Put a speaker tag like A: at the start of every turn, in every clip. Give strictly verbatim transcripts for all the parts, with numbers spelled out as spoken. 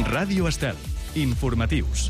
A: Ràdio Estel. Informatius.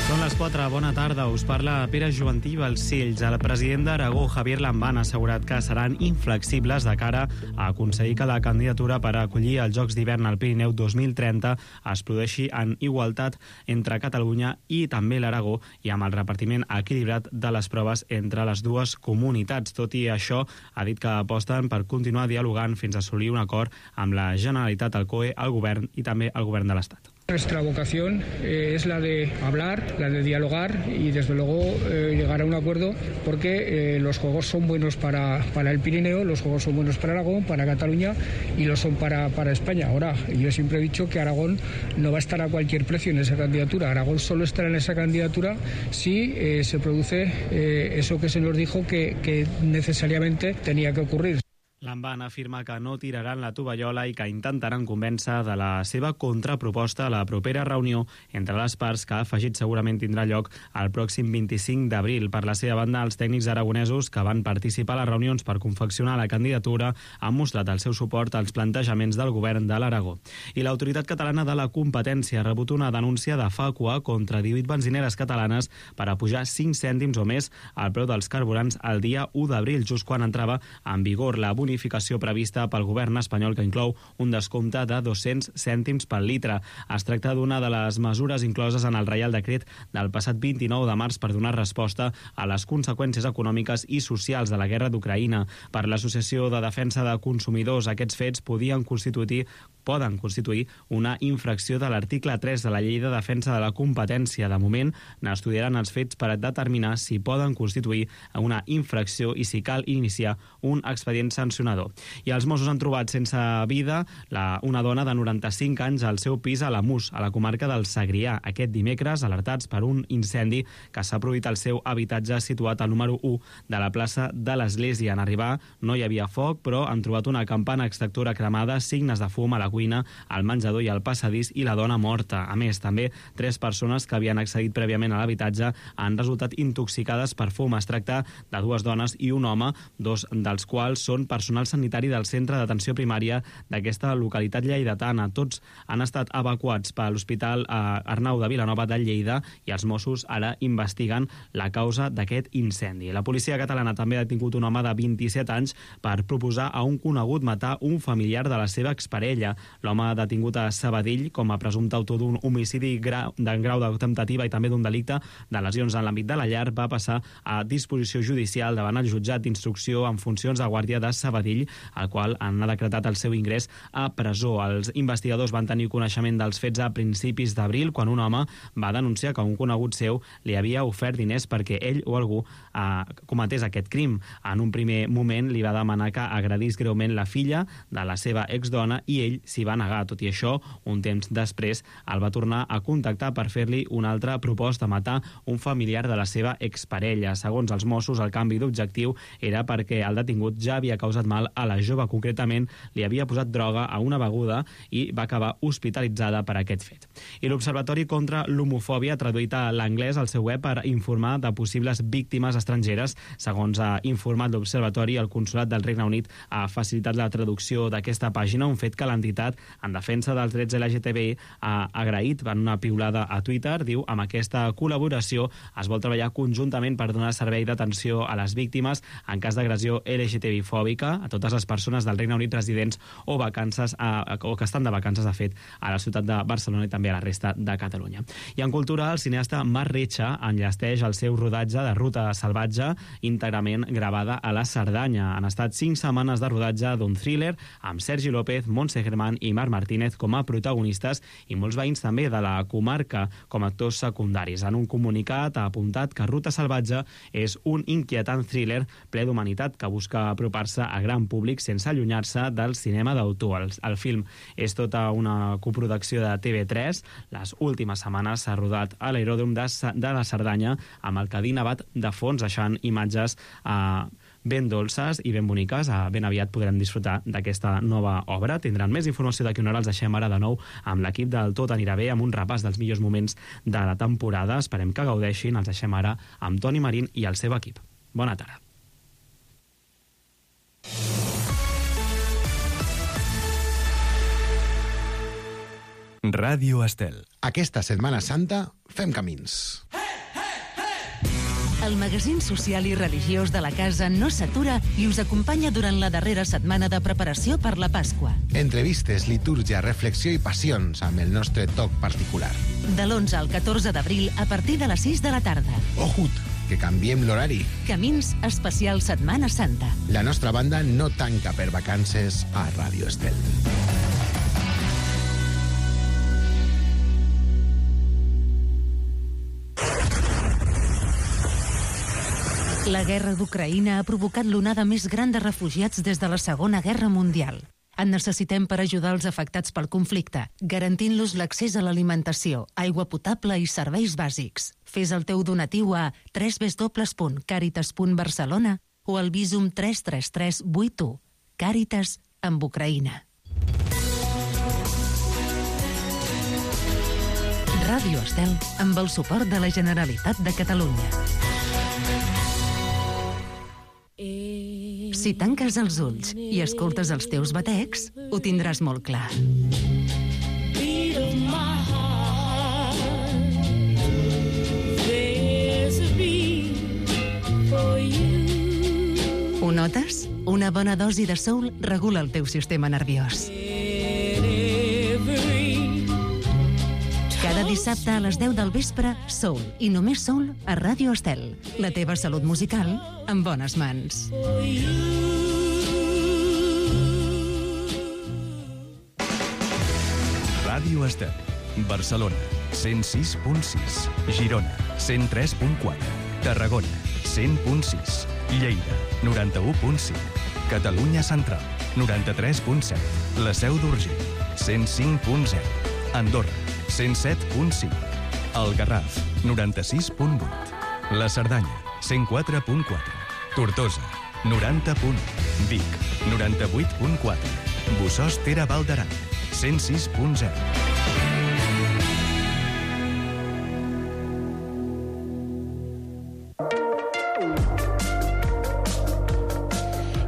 B: Són les quatre, bona tarda, us parla Pere Juventí Balcells. El president d'Aragó, Javier Lambán, ha assegurat que seran inflexibles de cara a aconseguir que la candidatura per acollir els Jocs d'hivern al Pirineu dos mil trenta es produeixi en igualtat entre Catalunya i també l'Aragó i amb el repartiment equilibrat de les proves entre les dues comunitats. Tot i això, ha dit que aposten per continuar dialogant fins a assolir un acord amb la Generalitat, el C O E, el Govern i també el Govern de l'Estat.
C: Nuestra vocación eh, es la de hablar, la de dialogar y desde luego eh, llegar a un acuerdo porque eh, los juegos son buenos para, para el Pirineo, los juegos son buenos para Aragón, para Cataluña y lo son para, para España. Ahora, yo siempre he dicho que Aragón no va a estar a cualquier precio en esa candidatura. Aragón solo estará en esa candidatura si eh, se produce eh, eso que se nos dijo que, que necesariamente tenía que ocurrir.
B: Lambán afirma que no tiraran la tovallola i que intentaran convèncer de la seva contraproposta a la propera reunió entre les parts, que ha afegit segurament tindrà lloc el pròxim vint-i-cinc d'abril. Per la seva banda, els tècnics aragonesos que van participar a les reunions per confeccionar la candidatura han mostrat el seu suport als plantejaments del govern de l'Aragó. I l'Autoritat Catalana de la Competència ha rebut una denúncia de Fàcua contra divuit benzineres catalanes per apujar cinc cèntims o més al preu dels carburants el dia u d'abril, just quan entrava en vigor la bonificació prevista pel govern espanyol, que inclou un descompte de dos-cents cèntims per litre. Es tracta d'una de les mesures incloses en el Reial Decret del passat vint-i-nou de març per donar resposta a les conseqüències econòmiques i socials de la guerra d'Ucraïna. Per l'Associació de Defensa de Consumidors, aquests fets podien constituir poden constituir una infracció de l'article tres de la Llei de Defensa de la Competència. De moment, n'estudiaran els fets per determinar si poden constituir una infracció i si cal iniciar un expedient sancionador. I els Mossos han trobat sense vida la, una dona de noranta-cinc anys al seu pis a l'Amus, a la comarca del Segrià, aquest dimecres, alertats per un incendi que s'ha produït al seu habitatge situat al número u de la plaça de l'Església. En arribar no hi havia foc, però han trobat una campana extractora cremada, signes de fum a la cuina, al menjador i al passadís i la dona morta. A més, també tres persones que havien accedit prèviament a l'habitatge han resultat intoxicades per fum. Es tracta de dues dones i un home, dos dels quals són personal sanitari del centre d'atenció primària d'aquesta localitat lleidatana. Tots han estat evacuats per l'Hospital Arnau de Vilanova de Lleida i els Mossos ara investiguen la causa d'aquest incendi. La policia catalana també ha detingut un home de vint-i-set anys per proposar a un conegut matar un familiar de la seva exparella. L'home detingut a Sabadell com a presumpte autor d'un homicidi grau, d'en grau de temptativa i també d'un delicte de lesions en l'àmbit de la llar va passar a disposició judicial davant el jutjat d'instrucció en funcions de guàrdia de Sabadell, al qual han decretat el seu ingrés a presó. Els investigadors van tenir coneixement dels fets a principis d'abril, quan un home va denunciar que un conegut seu li havia ofert diners perquè ell o algú eh, cometés aquest crim. En un primer moment li va demanar que agredís greument la filla de la seva exdona i ell s'hi va negar. Tot i això, un temps després el va tornar a contactar per fer-li una altra proposta, matar un familiar de la seva exparella. Segons els Mossos, el canvi d'objectiu era perquè el detingut ja havia causat mal a la jove. Concretament, li havia posat droga a una beguda i va acabar hospitalitzada per aquest fet. I l'Observatori contra l'Homofòbia ha traduït a l'anglès al seu web per informar de possibles víctimes estrangeres. Segons ha informat l'Observatori, el Consolat del Regne Unit ha facilitat la traducció d'aquesta pàgina, un fet que l'entitat en defensa dels drets L G T B I ha agraït en una piulada a Twitter. Diu, amb aquesta col·laboració es vol treballar conjuntament per donar servei d'atenció a les víctimes en cas d'agressió L G T B I fòbica a totes les persones del Regne Unit residents o vacances a, o que estan de vacances, de fet, a la ciutat de Barcelona i també a la resta de Catalunya. I en cultura, el cineasta Marc Retxa enllesteix el seu rodatge de Ruta Salvatge, íntegrament gravada a la Cerdanya. Han estat cinc setmanes de rodatge d'un thriller amb Sergi López, Montse Germán i Marc Martínez com a protagonistes i molts veïns també de la comarca com a actors secundaris. En un comunicat ha apuntat que Ruta Salvatge és un inquietant thriller ple d'humanitat que busca apropar-se a gran públic sense allunyar-se del cinema d'autor. El, el film és tota una coproducció de T V tres. Les últimes setmanes s'ha rodat a l'aeròdrom de, de la Cerdanya amb el Cadí nevat de fons, deixant imatges a eh, ben dolces i ben boniques. Ben aviat podrem disfrutar d'aquesta nova obra. Tindran més informació d'aquí una hora. Els deixem ara de nou amb l'equip del Tot Anirà Bé, amb un repàs dels millors moments de la temporada. Esperem que gaudeixin. Els deixem ara amb Toni Marín i el seu equip. Bona tarda.
A: Ràdio Estel.
D: Aquesta Setmana Santa fem camins.
E: El magazín social i religiós de la casa no s'atura i us acompanya durant la darrera setmana de preparació per la Pasqua.
D: Entrevistes, litúrgia, reflexió i passions amb el nostre toc particular.
E: De l'onze al catorze d'abril a partir de les sis de la tarda.
D: Ojut, que canviem l'horari.
E: Camins especial Setmana Santa.
D: La nostra banda no tanca per vacances a Ràdio Estel.
E: La guerra d'Ucraïna ha provocat l'onada més gran de refugiats des de la Segona Guerra Mundial. En necessitem per ajudar els afectats pel conflicte, garantint-los l'accés a l'alimentació, aigua potable i serveis bàsics. Fes el teu donatiu a w w w punt caritas punt barcelona o al Visum tres tres tres vuit u. Càritas amb Ucraïna. Ràdio Estel, amb el suport de la Generalitat de Catalunya. Si tanques els ulls i escoltes els teus batecs, ho tindràs molt clar. Ho notes? Una bona dosi de soul regula el teu sistema nerviós. Cada dissabte a les deu del vespre, Soul, i només Soul a Ràdio Estel. La teva salut musical en bones mans.
A: Ràdio Estel. Barcelona, cent sis punt sis. Girona, cent tres punt quatre. Tarragona, cent punt sis. Lleida, noranta-u punt cinc. Catalunya Central, noranta-tres punt set. La Seu d'Urgell, cent cinc punt zero. Andorra, cent set punt cinc. El Garraf, noranta-sis punt vuit. La Cerdanya, cent quatre punt quatre. Tortosa, noranta punt u. Vic, noranta-vuit punt quatre. Bossòst Tere Val d'Aran, cent sis punt zero.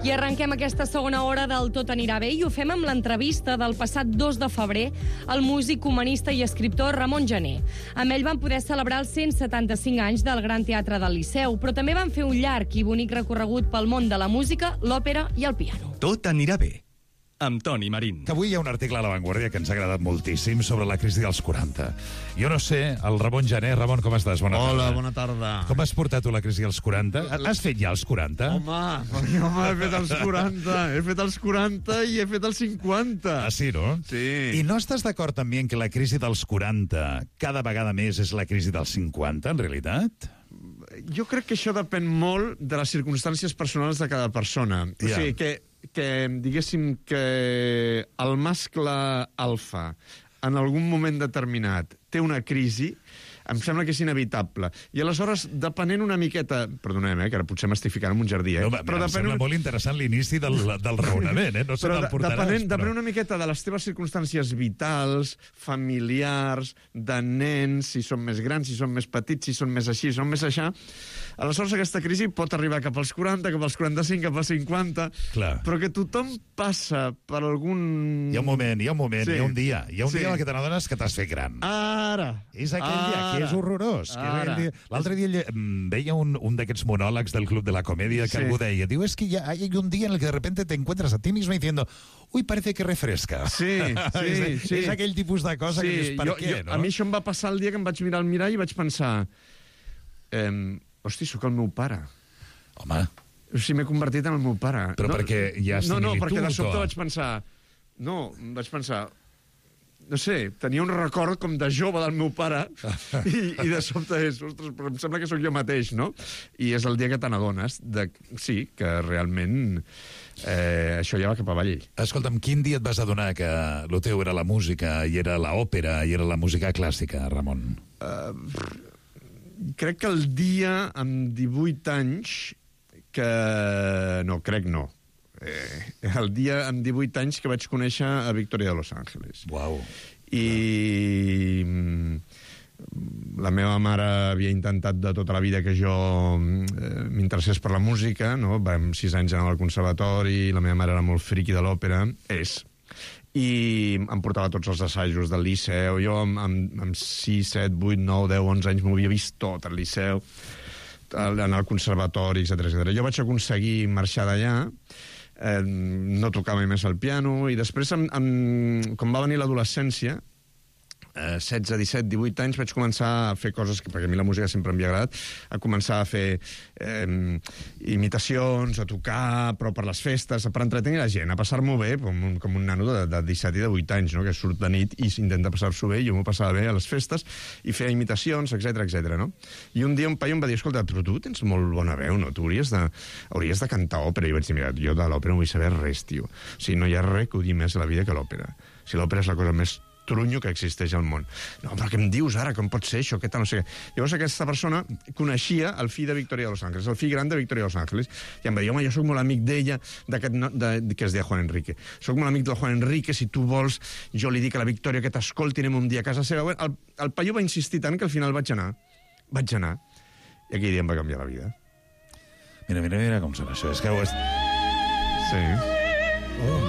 F: I arrenquem aquesta segona hora del Tot anirà bé i ho fem amb l'entrevista del passat dos de febrer al músic, humanista i escriptor Ramon Gené. Amb ell van poder celebrar els cent setanta-cinc anys del Gran Teatre del Liceu, però també van fer un llarg i bonic recorregut pel món de la música, l'òpera i el piano.
A: Tot anirà bé. Amb Toni Marín.
G: Que avui hi ha un article a La Vanguardia que ens ha agradat moltíssim sobre la crisi dels quaranta. Jo no sé, el Ramon Gené. Ramon, com estàs? Bona tarda.
H: Hola, bona tarda.
G: Com has portat tu la crisi dels quaranta? Has fet ja els quaranta?
H: Home, perquè, home, he fet els quaranta. He fet els quaranta i he fet els cinquanta.
G: Ah, sí, no?
H: Sí.
G: I no estàs d'acord amb mi en que la crisi dels quaranta cada vegada més és la crisi dels cinquanta, en realitat?
H: Jo crec que això depèn molt de les circumstàncies personals de cada persona. O
G: Ja.
H: sigui, que, que diguéssim que el mascle alfa en algun moment determinat té una crisi, em sembla que és inevitable. I aleshores, depenent una miqueta... Perdoneu, eh, que ara potser m'estic ficant en un jardí, eh?
G: No, però em sembla molt interessant l'inici del, del raonament, eh? No sé
H: però
G: on el portaràs.
H: Depenent,
G: però...
H: depenent una miqueta de les teves circumstàncies vitals, familiars, de nens, si són més grans, si són més petits, si són més així, si són més aixà, aleshores aquesta crisi pot arribar cap als quaranta, cap als quaranta-cinc, cap als cinquanta,
G: Clar.
H: però que tothom passa per algun...
G: Hi ha un moment, hi ha un moment,
H: Sí.
G: hi ha un dia. Hi ha un
H: Sí.
G: dia en què te n'adones que t'has fet gran.
H: Ara!
G: És aquell dia que
H: Ara.
G: és horrorós. Que és
H: Ara.
G: aquell dia... L'altre dia lle- mm, veia un, un d'aquests monòlegs del Club de la Comedia que
H: Sí.
G: algú deia, diu, es que ya hay un día en el que de repente te encuentras a ti mismo diciendo, uy, parece que refresca.
H: Sí, sí,
G: és,
H: sí.
G: és aquell tipus de cosa que dius, per
H: jo,
G: què,
H: jo,
G: no?
H: A mi això em va passar el dia que em vaig mirar al mirall i vaig pensar, eh, hosti, sóc el meu pare.
G: Home,
H: O sigui, m'he convertit en el meu pare.
G: Però perquè hi ha
H: No, no,
G: similitud,
H: perquè de sobte
G: o?
H: vaig pensar... No, vaig pensar... No sé, tenia un record com de jove del meu pare i, i de sobte és, ostres, però em sembla que sóc jo mateix, no? I és el dia que te n'adones de... Sí, que realment eh, això ja va cap avall.
G: escolta'm, quin dia et vas adonar que el teu era la música i era l'òpera i era la música clàssica, Ramon?
H: Uh, crec que el dia amb divuit anys que... No, crec no. Eh, el dia amb divuit anys que vaig conèixer a Victoria de Los Ángeles.
G: Uau.
H: I mm, la meva mare havia intentat de tota la vida que jo eh, m'interessés per la música, no? Vam sis anys anar al conservatori, la meva mare era molt friqui de l'òpera, és. i em portava tots els assajos del Liceu. Jo amb, amb, amb sis, set, vuit, nou, deu, onze anys m'ho havia vist tot al Liceu, anar al conservatori, etcètera, etcètera. Jo vaig aconseguir marxar d'allà, eh, no tocava més el piano, i després, amb, amb, quan va venir l'adolescència, eh, setze, disset, divuit anys, vaig començar a fer coses, que, perquè a mi la música sempre m'havia agradat, a començar a fer eh, imitacions, a tocar, però per les festes, per entretenir la gent, a passar-m'ho bé, com un, com un nano de, de disset i de vuit anys, no? Que surt de nit i intenta passar-s'ho bé, i jo m'ho passava bé a les festes, i feia imitacions, etcètera, etcètera, no? I un dia un paio em va dir, escolta, però tu tens molt bona veu, no? Tu hauries de, hauries de cantar òpera. I vaig dir, mira, jo de l'òpera no vull saber res, tio. O sigui, no hi ha res que odie més a la vida que l'òpera. O sigui, l'òpera és la cosa més trunyo que existeix al món. No, però què em dius ara? Com pot ser això? Què tal? No sé què. Llavors aquesta persona coneixia el fill de Victoria de Los Ángeles, el fill gran de Victoria de Los Ángeles, i em va dir, home, jo soc molt amic d'ella, no, de, que es deia Juan Enrique. Soc molt amic del Juan Enrique, si tu vols, jo li dic a la Victoria que t'escolti, anem un dia a casa seva. El, el paio va insistir tant que al final vaig anar. Vaig anar. I aquell dia em va canviar la vida.
G: Mira, mira, mira com sona això. És que ho és...
H: Sí.
G: Oh.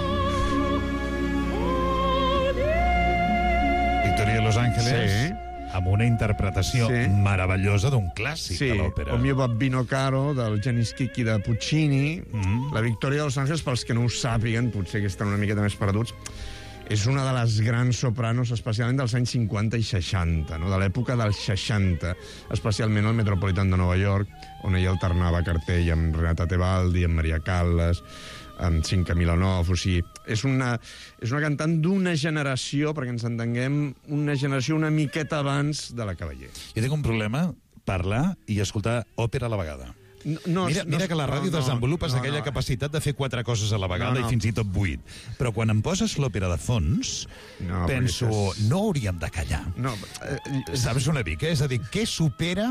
G: Victoria de Los Ángeles, sí, amb una interpretació sí. meravellosa d'un clàssic
H: sí.
G: de l'òpera.
H: O mio babbino caro, del Gianni Schicchi de Puccini. Mm. La Victoria de Los Ángeles, pels que no ho sàpiguen, potser que estan una miqueta més perduts, és una de les grans sopranos, especialment dels anys cinquanta i seixanta, no? De l'època dels seixanta, especialment al Metropolitan de Nova York, on ella alternava cartell amb Renata Tebaldi, amb Maria Callas, amb Cinca Milanov, o sigui, és una, és una cantant d'una generació, perquè ens entenguem, una generació una miqueta abans de la Cavaller.
G: Jo tinc un problema, parlar i escoltar òpera a la vegada.
H: No, no,
G: mira, mira que la ràdio no, no, desenvolupes no, aquella no. capacitat de fer quatre coses a la vegada no, no. i fins i tot vuit. Però quan em poses l'òpera de fons, no, penso, és... no hauríem de callar. No, eh, Saps una mica? És a dir, què supera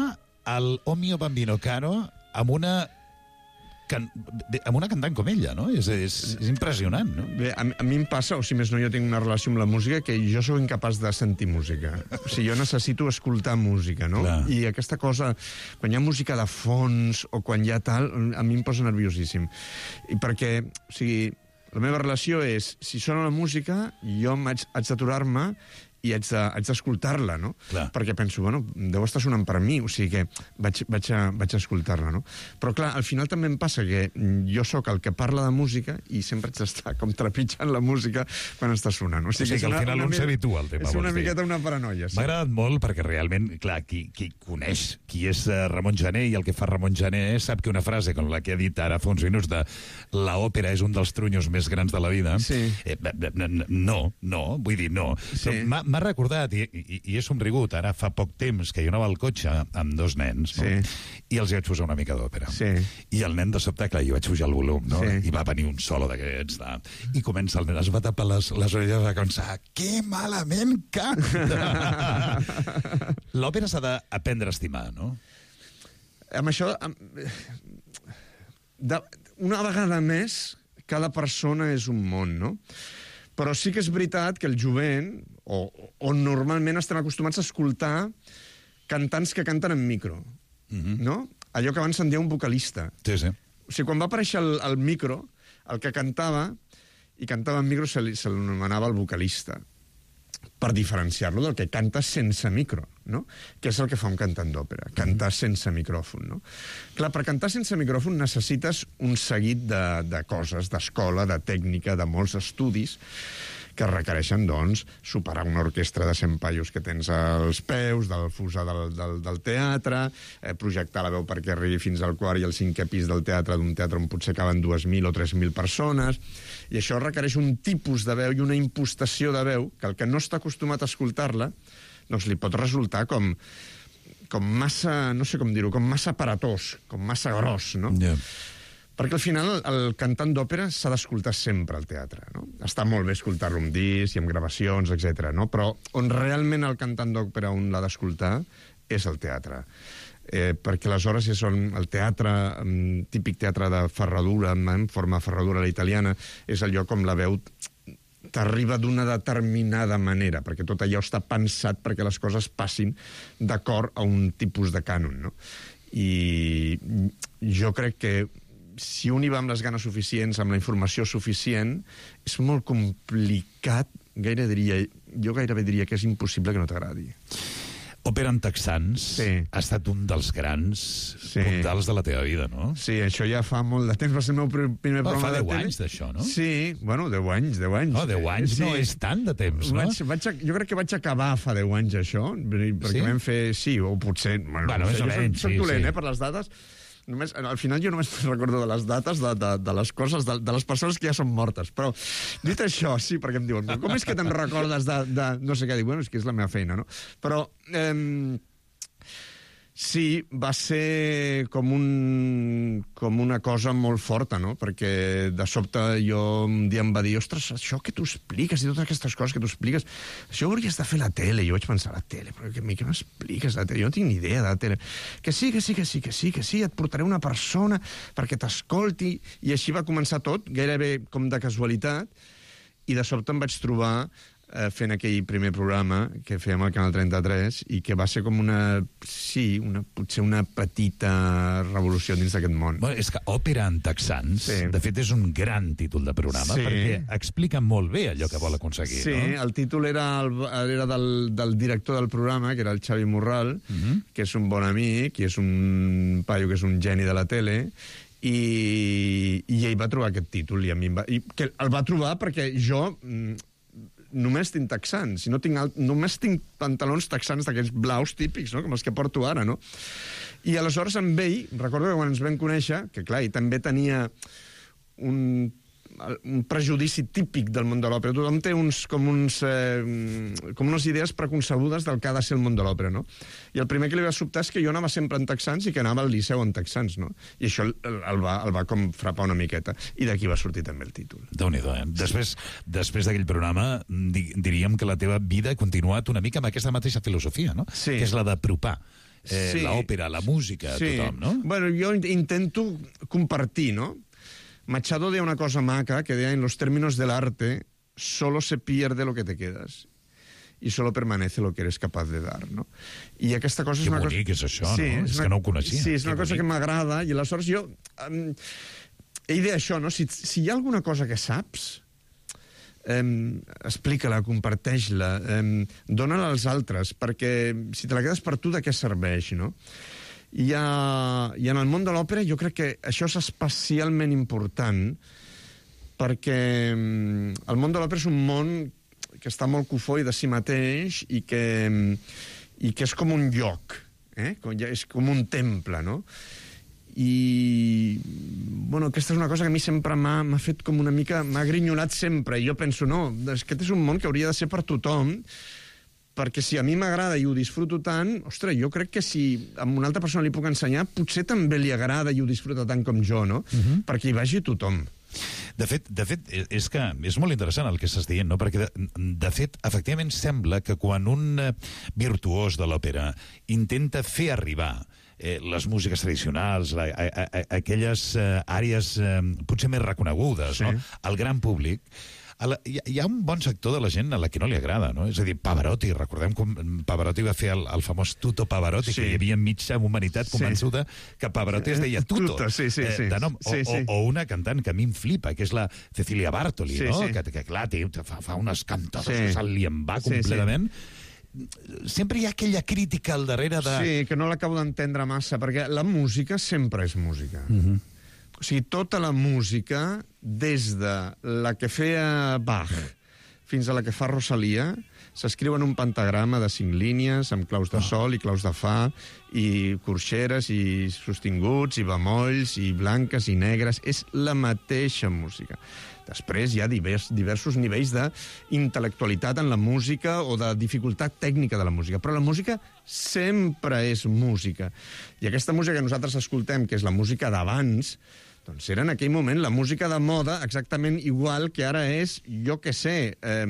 G: el O mio bambino caro amb una... Can... amb una cantant com ella, no? És, és, és impressionant, no?
H: Bé, a, a mi em passa, o si més no, jo tinc una relació amb la música, que jo sóc incapaç de sentir música. O sigui, jo necessito escoltar música, no? Clar. I aquesta cosa, quan hi ha música de fons o quan hi ha tal, a mi em posa nerviosíssim. I perquè, o sigui, la meva relació és, si sona la música, jo haig, haig d'aturar-me i haig d'escoltar-la, de, no? Clar. Perquè penso, bueno, deu estar sonant per mi, o sigui que vaig, vaig, a, vaig a escoltar-la, no? Però clar, al final també em passa que jo sóc el que parla de música i sempre haig d'estar com trepitjant la música quan està sonant.
G: O sigui, o sigui que, que al final un s'habitua al tema.
H: És una miqueta una paranoia, sí.
G: M'ha agradat molt perquè realment, clar, qui, qui coneix qui és Ramon Gené i el que fa Ramon Gené sap que una frase com la que ha dit ara fa uns minuts de l'òpera és un dels trunyos més grans de la vida, sí. eh, no, no, vull dir, no. Sí. M'ha M'ha recordat, i, i, i he somrigut, ara fa poc temps que jo anava al cotxe amb dos nens, no? Sí. I els vaig posar una mica d'òpera. Sí. I el nen de sobte, clar, jo vaig pujar el volum, no? Sí. I va venir un solo d'aquests, no? I comença el nen, es va tapar les, les orelles i va començar, que malament canta! L'òpera s'ha d'aprendre a estimar, no?
H: Amb això, amb... De... una vegada més, cada persona és un món, no? Però sí que és veritat que el jovent, o, on normalment estem acostumats a escoltar cantants que canten en micro, mm-hmm. no? Allò que abans se'n deia un vocalista.
G: Sí, sí.
H: O sigui, quan va aparèixer el, el micro, el que cantava, i cantava en micro, se l'anomenava el vocalista, per diferenciar-lo del que canta sense micro, no? Que és el que fa un cantant d'òpera, cantar sense micròfon, no? Clar, per cantar sense micròfon necessites un seguit de, de coses, d'escola, de tècnica, de molts estudis, que requereixen, doncs, superar una orquestra de cent paios que tens als peus, del fusar del, del, del teatre, eh, projectar la veu perquè arribi fins al quart i al cinquè pis del teatre, d'un teatre on potser caben dues mil o tres mil persones, i això requereix un tipus de veu i una impostació de veu que el que no està acostumat a escoltar-la, doncs li pot resultar com, com massa, no sé com dir-ho, com massa aparatós, com massa gros, no? Yeah. Perquè al final el cantant d'òpera s'ha d'escoltar sempre al teatre, no? Està molt bé escoltar-lo amb disc i amb gravacions, etcètera, no? Però on realment el cantant d'òpera un l'ha d'escoltar és el teatre. Eh, perquè aleshores és on el teatre, típic teatre de ferradura, en forma de ferradura a la italiana, és el lloc on la veu t'arriba d'una determinada manera, perquè tot allò està pensat perquè les coses passin d'acord a un tipus de cànon, no? I jo crec que si un hi va amb les ganes suficients, amb la informació suficient, és molt complicat, gaire diria, jo gairebé diria que és impossible que no t'agradi.
G: Òpera en texans sí. ha estat un dels grans sí. puntals de la teva vida, no?
H: Sí, això ja fa molt de temps, va ser el meu primer
G: oh,
H: programa de tele.
G: Fa deu anys d'això, no?
H: Sí, bueno, deu anys, deu anys.
G: No, deu anys sí. no és tant de temps, no?
H: Vaig, vaig, jo crec que vaig acabar fa deu anys, això, perquè sí? vam fer... Sí, o potser... Bueno,
G: bueno
H: no
G: sé,
H: jo
G: menys,
H: soc, soc
G: sí,
H: dolent,
G: sí.
H: eh, per les dates. Només, al final jo només recordo de les dates de, de, de les coses, de, de les persones que ja són mortes. Però, dit això, sí, perquè em diuen, com és que te'n recordes de, de... No sé què, dic, bueno, és que és la meva feina, no? Però... Eh, sí, va ser com, un, com una cosa molt forta, no? Perquè de sobte jo un dia em va dir, ostres, això que tu expliques i totes aquestes coses que tu expliques, això ho hauries de fer a la tele. I jo vaig pensar, la tele? Però què, què m'expliques de la tele? Jo no tinc ni idea de la tele. Que sí, que sí, que sí, que sí, que sí, et portaré una persona perquè t'escolti. I així va començar tot, gairebé com de casualitat, i de sobte em vaig trobar eh, fent aquell primer programa que fèiem al Canal trenta-tres i que va ser com una, sí, una, potser una petita revolució dins d'aquest món.
G: Bueno, és que Òpera en texans, sí. de fet, és un gran títol de programa,
H: sí.
G: perquè explica molt bé allò que vol aconseguir,
H: sí,
G: no?
H: Sí, el títol era, el, era del, del director del programa, que era el Xavi Morral, uh-huh. que és un bon amic, i és un paio que és un geni de la tele, i, i ell va trobar aquest títol, i a mi em va, i que el va trobar perquè jo... només tinc texans, si no tinc alt, només tinc pantalons texans d'aquells blaus típics, no? Com els que porto ara, no? I aleshores amb ell, recordo que quan ens vam conèixer, que clar, ell també tenia un, un prejudici típic del món de l'òpera. Tothom té uns, com, uns, eh, com unes idees preconcebudes del que ha de ser el món de l'òpera, no? I el primer que li va sobtar és que jo anava sempre en texans i que anava al Liceu en texans, no? I això el, el, va, el va com frapar una miqueta. I d'aquí va sortir també el títol.
G: Déu-n'hi-do, eh? Després, després d'aquell programa, di, diríem que la teva vida ha continuat una mica amb aquesta mateixa filosofia, no?
H: Sí.
G: Que és la d'apropar eh,
H: sí.
G: l'òpera, la música, a
H: sí.
G: tothom, no?
H: Bueno, jo intento compartir, no? Machado deia una cosa maca, que deia, en los términos del arte, solo se pierde lo que te quedas y solo permanece lo que eres capaz de dar, no? I aquesta cosa és
G: que
H: una cosa...
G: Que bonic és això,
H: sí,
G: no? És,
H: és una...
G: que no ho coneixia.
H: Sí, és una
G: que
H: cosa
G: bonic.
H: que m'agrada, i aleshores jo... Um, ell deia això, no? Si, si hi ha alguna cosa que saps, um, explica-la, comparteix-la, um, dóna-la als altres, perquè si te la quedes per tu, de què serveix, no? I, a, I en el món de l'òpera jo crec que això és especialment important perquè el món de l'òpera és un món que està molt cofoi de si mateix i que, i que és com un lloc, eh? És com un temple, no? I, bueno, aquesta és una cosa que a mi sempre m'ha fet com una mica... m'ha grinyolat sempre, i jo penso, no, aquest és un món que hauria de ser per tothom, perquè si a mi m'agrada i ho disfruto tant, ostres, jo crec que si a una altra persona li puc ensenyar, potser també li agrada i ho disfruta tant com jo, no? Uh-huh. Perquè hi vagi tothom.
G: De fet, de fet, és que és molt interessant el que estàs dient, no? Perquè, de, de fet, efectivament sembla que quan un virtuós de l'òpera intenta fer arribar eh, les músiques tradicionals, a, a, a, aquelles eh, àrees eh, potser més reconegudes, sí. no? Al gran públic, La, hi, hi ha un bon sector de la gent a la que no li agrada, no? És a dir, Pavarotti, recordem com Pavarotti va fer el, el famós Tuto Pavarotti, sí. que hi havia mitja humanitat convençuda sí. que Pavarotti es deia Tuto,
H: Tuto sí, sí, sí.
G: Eh, de nom. O,
H: sí, sí.
G: O, o una cantant que a mi em flipa, que és la Cecilia Bartoli,
H: sí,
G: no?
H: Sí.
G: Que, que clar, té, fa, fa unes cantades
H: sí.
G: que se'l li en va completament. Sí, sí. Sempre hi ha aquella crítica al darrere de...
H: Sí, que no l'acabo d'entendre massa, perquè la música sempre és música. Uh-huh. O sigui, tota la música, des de la que feia Bach fins a la que fa Rosalia, s'escriu en un pentagrama de cinc línies, amb claus de sol i claus de fa, i corxeres, i sostinguts, i bemolls, i blanques i negres. És la mateixa música. Després hi ha divers, diversos nivells d'intel·lectualitat en la música o de dificultat tècnica de la música, però la música sempre és música. I aquesta música que nosaltres escoltem, que és la música d'abans, doncs era en aquell moment la música de moda exactament igual que ara és, jo què sé, eh,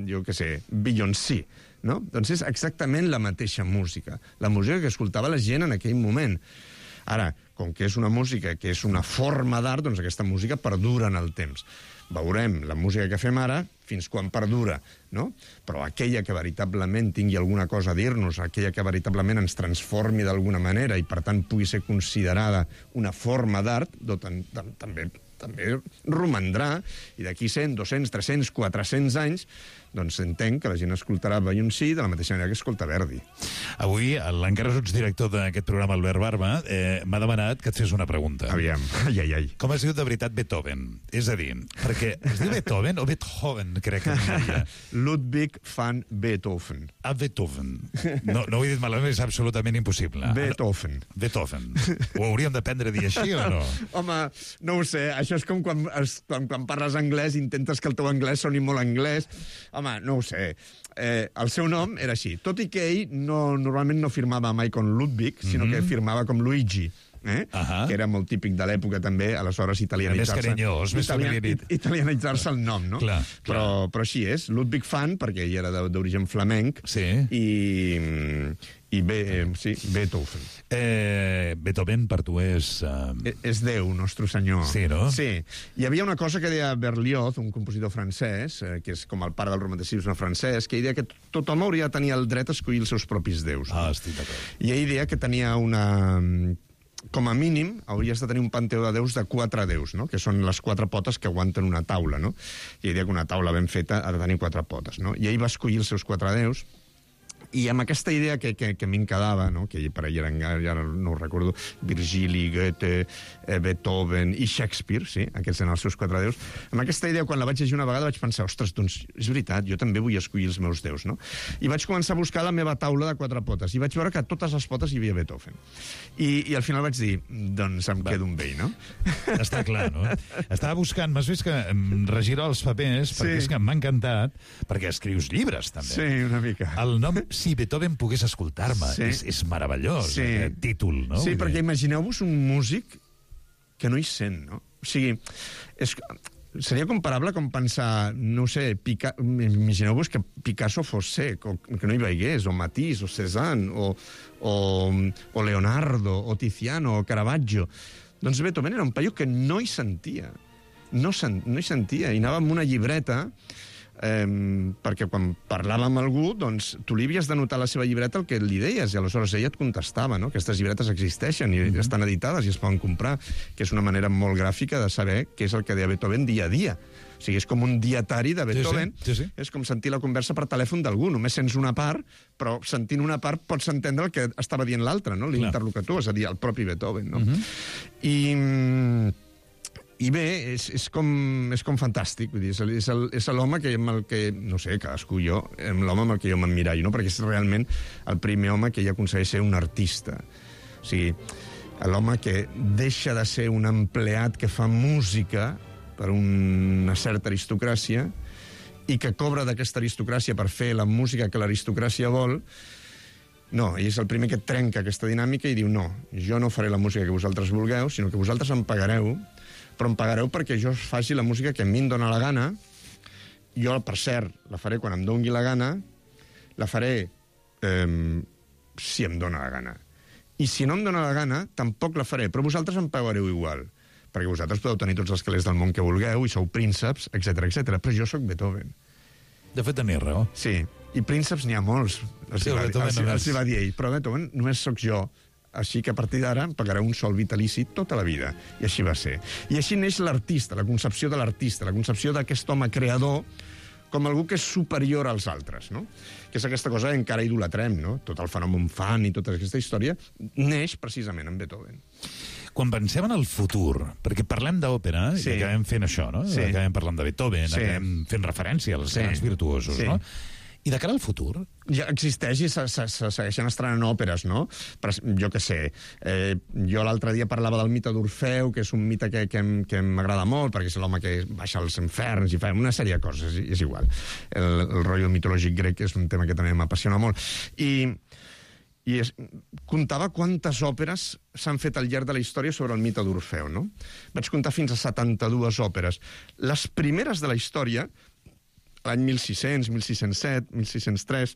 H: jo què sé, Beyoncé, no? Doncs és exactament la mateixa música, la música que escoltava la gent en aquell moment. Ara, com que és una música que és una forma d'art, doncs aquesta música perdura en el temps. Veurem la música que fem ara fins quan perdura, no? Però aquella que veritablement tingui alguna cosa a dir-nos, aquella que veritablement ens transformi d'alguna manera i, per tant, pugui ser considerada una forma d'art, també també romandrà, i d'aquí cent, dos-cents, tres-cents, quatre-cents anys, doncs entenc que la gent escoltarà Beyoncé de la mateixa manera que escolta Verdi.
G: Avui, l'encara director d'aquest programa, Albert Barba, eh, m'ha demanat que et fes una pregunta.
H: Aviam, ai, ai, ai.
G: Com es diu de veritat Beethoven? És a dir, perquè es diu Beethoven o Beethoven, crec que diria.
H: Ludwig van Beethoven.
G: Ah, Beethoven. No, no ho he dit malament, és absolutament impossible.
H: Beethoven.
G: Beethoven. Ho hauríem d'aprendre a dir així o no?
H: Home, no ho sé, això és com quan, quan, quan parles anglès, intentes que el teu anglès soni molt anglès. Home, no ho sé. Eh, el seu nom era així. Tot i que ell no, normalment no firmava mai com Ludwig, sinó mm-hmm. que firmava com Luigi. Eh? Uh-huh. Que era molt típic de l'època també, aleshores italianitzar-se.
G: Més carinyós, més
H: italian, italianitzar-se el nom, no?
G: Clar,
H: però,
G: clar.
H: però així és, Ludwig van, perquè ell era d'origen flamenc,
G: sí.
H: i, i bé, sí, Beethoven.
G: Eh, Beethoven per tu és... Uh...
H: És Déu, nostre senyor.
G: Sí, no?
H: Sí. Hi havia una cosa que deia Berlioz, un compositor francès, eh, que és com el pare del romanticisme francès, que ell deia que tothom hauria de tenir el dret a escollir els seus propis déus.
G: Ah,
H: no?
G: estic d'acord.
H: I ell deia que tenia una... com a mínim, hauries de tenir un panteó de déus de quatre déus, no? Que són les quatre potes que aguanten una taula, no? I ell deia que una taula ben feta ha de tenir quatre potes, no? I ell va escollir els seus quatre déus, i amb aquesta idea que, que, que m'hi quedava, no? Que per allà eren, ja no ho recordo, Virgili, Goethe, eh, Beethoven i Shakespeare, sí, aquests eren els seus quatre déus, amb aquesta idea, quan la vaig llegir una vegada, vaig pensar, ostres, doncs és veritat, jo també vull escollir els meus déus, no? I vaig començar a buscar la meva taula de quatre potes, i vaig veure que a totes les potes hi havia Beethoven. I, i al final vaig dir, doncs em quedo amb ell, no?
G: Està clar, no? Estava buscant, m'has vist que em regira els papers, perquè sí. És que m'ha encantat, perquè escrius llibres, també.
H: Sí, una mica.
G: El nom Si Beethoven pogués escoltar-me. Sí. És, és meravellós, sí. Aquest títol, no?
H: Sí, perquè imagineu-vos un músic que no hi sent, no? O sigui, és, seria comparable com pensar, no sé, Pica... imagineu-vos que Picasso fos sec, o que no hi veigués, o Matisse, o Cézanne, o, o, o Leonardo, o Tiziano, o Caravaggio. Doncs Beethoven era un paio que no hi sentia. No, sen, no hi sentia. I anava amb una llibreta... Eh, perquè quan parlava amb algú, doncs tu li havies de notar a la seva llibreta el que li deies, i aleshores ella et contestava, no? Aquestes llibretes existeixen i mm-hmm. estan editades i es poden comprar, que és una manera molt gràfica de saber què és el que deia Beethoven dia a dia. O sigui, és com un dietari de Beethoven,
G: sí, sí, sí, sí.
H: És com sentir la conversa per telèfon d'algú, només sents una part, però sentint una part pots entendre el que estava dient l'altre, no? L'interlocutor, és a dir, el propi Beethoven, no? Mm-hmm. I... I bé, és, és, com, és com fantàstic, vull dir, és, el, és l'home que, amb el que, no sé, cadascú jo, l'home amb el que jo m'emmirallo, no? Perquè és realment el primer home que ja aconsegueix ser un artista. O sigui, l'home que deixa de ser un empleat que fa música per una certa aristocràcia i que cobra d'aquesta aristocràcia per fer la música que l'aristocràcia vol. No, ell és el primer que trenca aquesta dinàmica i diu, no, jo no faré la música que vosaltres vulgueu, sinó que vosaltres em pagareu, però em pagareu perquè jo faci la música que a mi em dóna la gana. Jo, per cert, la faré quan em doni la gana, la faré eh, si em dóna la gana. I si no em dóna la gana, tampoc la faré, però vosaltres em pagareu igual, perquè vosaltres podeu tenir tots els calés del món que vulgueu i sou prínceps, etcètera, etcètera. Però jo sóc Beethoven.
G: De fet, tenies raó.
H: Sí, i prínceps n'hi ha molts, els, sí, va, els, els va dir ell, però Beethoven només sóc jo. Així que a partir d'ara em pagareu un sol vitalici tota la vida. I així va ser. I així neix l'artista, la concepció de l'artista, la concepció d'aquest home creador com algú que és superior als altres, no? Que és aquesta cosa que encara idolatrem, no? Tot el fenomen fan i tota aquesta història neix precisament en Beethoven.
G: Quan pensem en el futur, perquè parlem d'òpera sí. I acabem fent això, no? Sí. Acabem parlant de Beethoven, sí. Acabem fent referència als sí. grans virtuosos, sí. No? I de cara al futur?
H: Ja existeix i se, se, se segueixen estrenant òperes, no? Però, jo què sé, eh, jo l'altre dia parlava del mite d'Orfeu, que és un mite que, que, que m'agrada molt, perquè és l'home que baixa als inferns i fa una sèrie de coses, és igual. El, el rotllo mitològic grec és un tema que també m'apassiona molt. I, i es, comptava quantes òperes s'han fet al llarg de la història sobre el mite d'Orfeu, no? Vaig comptar fins a setanta-dues òperes. Les primeres de la història, l'any mil sis-cents, mil sis-cents set, mil sis-cents tres,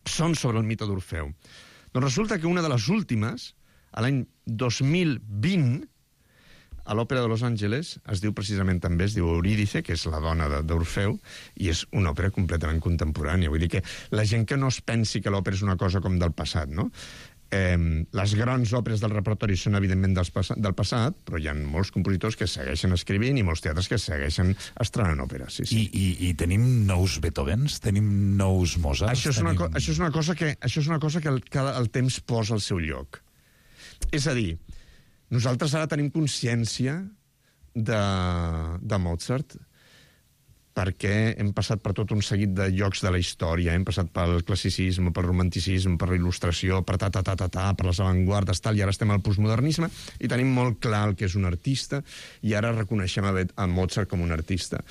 H: són sobre el mite d'Orfeu. Doncs resulta que una de les últimes a l'any dos mil vint, a l'Òpera de Los Angeles, es diu precisament també, es diu Eurídice, que és la dona d'Orfeu, i és una òpera completament contemporània. Vull dir que la gent que no es pensi que l'òpera és una cosa com del passat, no? Eh, les grans òperes del repertori són, evidentment, dels pas del passat, però hi ha molts compositors que segueixen escrivint i molts teatres que segueixen estrenant òperes. Sí, sí.
G: I, i, I tenim nous Beethovens? Tenim nous Mozart?
H: Això és,
G: tenim...
H: una, això és una cosa que, això és una cosa que el, que el temps posa al seu lloc. És a dir, nosaltres ara tenim consciència de, de Mozart perquè hem passat per tot un seguit de llocs de la història, hem passat pel classicisme, pel romanticisme, per la il·lustració, per ta, ta, ta, ta, ta, per les avantguardes, tal, i ara estem al postmodernisme, i tenim molt clar el que és un artista, i ara reconeixem a, a Mozart com un artista.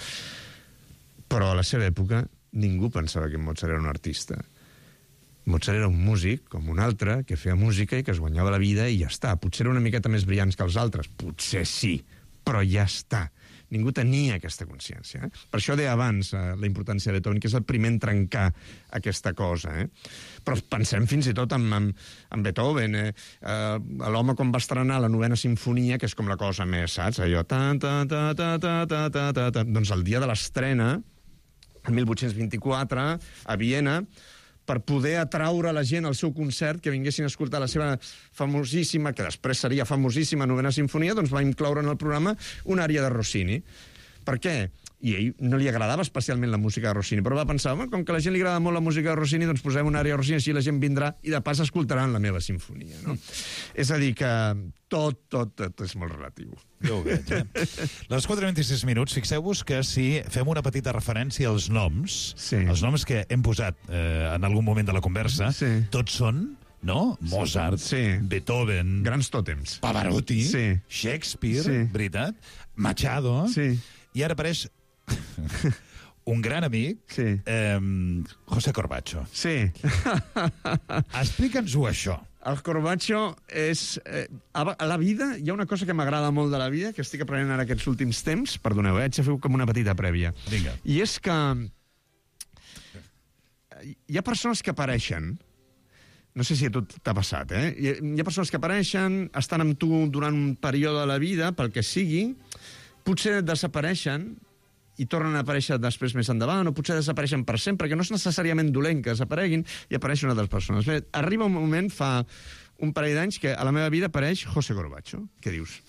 H: Però a la seva època ningú pensava que Mozart era un artista. Mozart era un músic, com un altre, que feia música i que es guanyava la vida i ja està. Potser era una miqueta més brillants que els altres, potser sí, però ja està. Ningú tenia aquesta consciència. Eh? Per això deia abans eh, la importància de Beethoven, que és el primer en trencar aquesta cosa. Eh? Però pensem fins i tot en, en, en Beethoven. Eh? Eh, L'home quan va estrenar la novena sinfonia, que és com la cosa més, saps? Allò... Ta, ta, ta, ta, ta, ta, ta, ta, ta. Doncs el dia de l'estrena, el mil vuit-cents vint-i-quatre, a Viena, per poder atraure la gent al seu concert, que vinguessin a escoltar la seva famosíssima, que després seria famosíssima novena sinfonia, doncs va incloure en el programa una ària de Rossini. Per què? I a ell no li agradava especialment la música de Rossini, però va pensar, com que a la gent li agrada molt la música de Rossini, doncs posem una ària de Rossini, així la gent vindrà i de pas escoltaran la meva sinfonia. No? Mm. És a dir, que tot, tot, tot és molt relatiu.
G: Jo ho veig, eh? Les quatre i vint-i-sis minuts, fixeu-vos que si fem una petita referència als noms, sí. els noms que hem posat eh, en algun moment de la conversa, sí. tots són, no? Mozart, sí. Beethoven...
H: Grans tòtems.
G: Pavarotti,
H: sí.
G: Shakespeare, sí. veritat? Machado...
H: Sí.
G: I ara apareix un gran amic, sí. eh, José Corbacho.
H: Sí.
G: Explica'ns-ho, això.
H: El Corbacho és... Eh, a la vida hi ha una cosa que m'agrada molt de la vida, que estic aprenent ara aquests últims temps, perdoneu, eh, haig de fer com una petita prèvia.
G: Vinga.
H: I és que hi ha persones que apareixen, no sé si a tu t'ha passat, eh? Hi ha, hi ha persones que apareixen, estan amb tu durant un període de la vida, pel que sigui, potser desapareixen i tornen a aparèixer després més endavant, o potser desapareixen per sempre, que no és necessàriament dolent que desapareguin, i apareix una de les persones. Bé, arriba un moment, fa un parell d'anys, que a la meva vida apareix José Corbacho, que dius,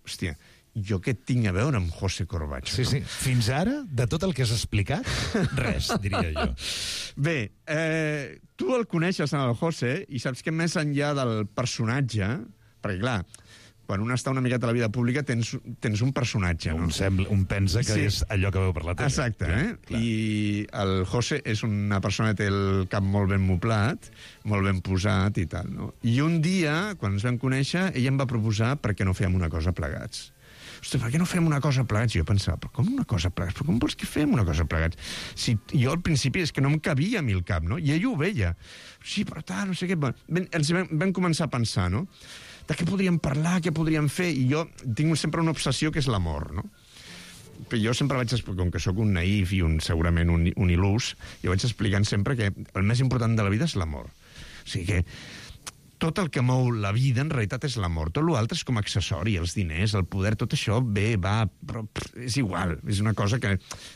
H: hòstia, jo què tinc a veure amb José Corbacho?
G: Sí,
H: no?
G: sí. Fins ara, de tot el que has explicat, res, diria jo.
H: Bé, eh, tu el coneixes, el José, i saps que més enllà del personatge, perquè clar, quan un està una miqueta a la vida pública tens, tens un personatge, no?
G: Un, sembla, un pensa que sí. és allò que veu per la tele.
H: Exacte, clar, eh? Clar. I el José és una persona que té el cap molt ben moblat, molt ben posat i tal, no? I un dia, quan ens vam conèixer, ell em va proposar per què no fèiem una cosa plegats. Ostres, per què no fem una cosa plegats? I jo pensava, però com una cosa plegats? Però com vols que fem una cosa plegats? Si jo al principi és que no em cabia a mi el cap, no? I ell ho veia. Sí, però tal, no sé què... Ben, ens vam, vam començar a pensar, no? De què podríem parlar, què podríem fer, i jo tinc sempre una obsessió que és l'amor, no? Però jo sempre vaig explicar, com que sóc un naïf i un, segurament un, un il·lús, jo vaig explicant sempre que el més important de la vida és l'amor. O sigui que tot el que mou la vida en realitat és l'amor. Tot l'altre és com accessori, els diners, el poder, tot això ve, va, però pff, és igual. És una cosa que,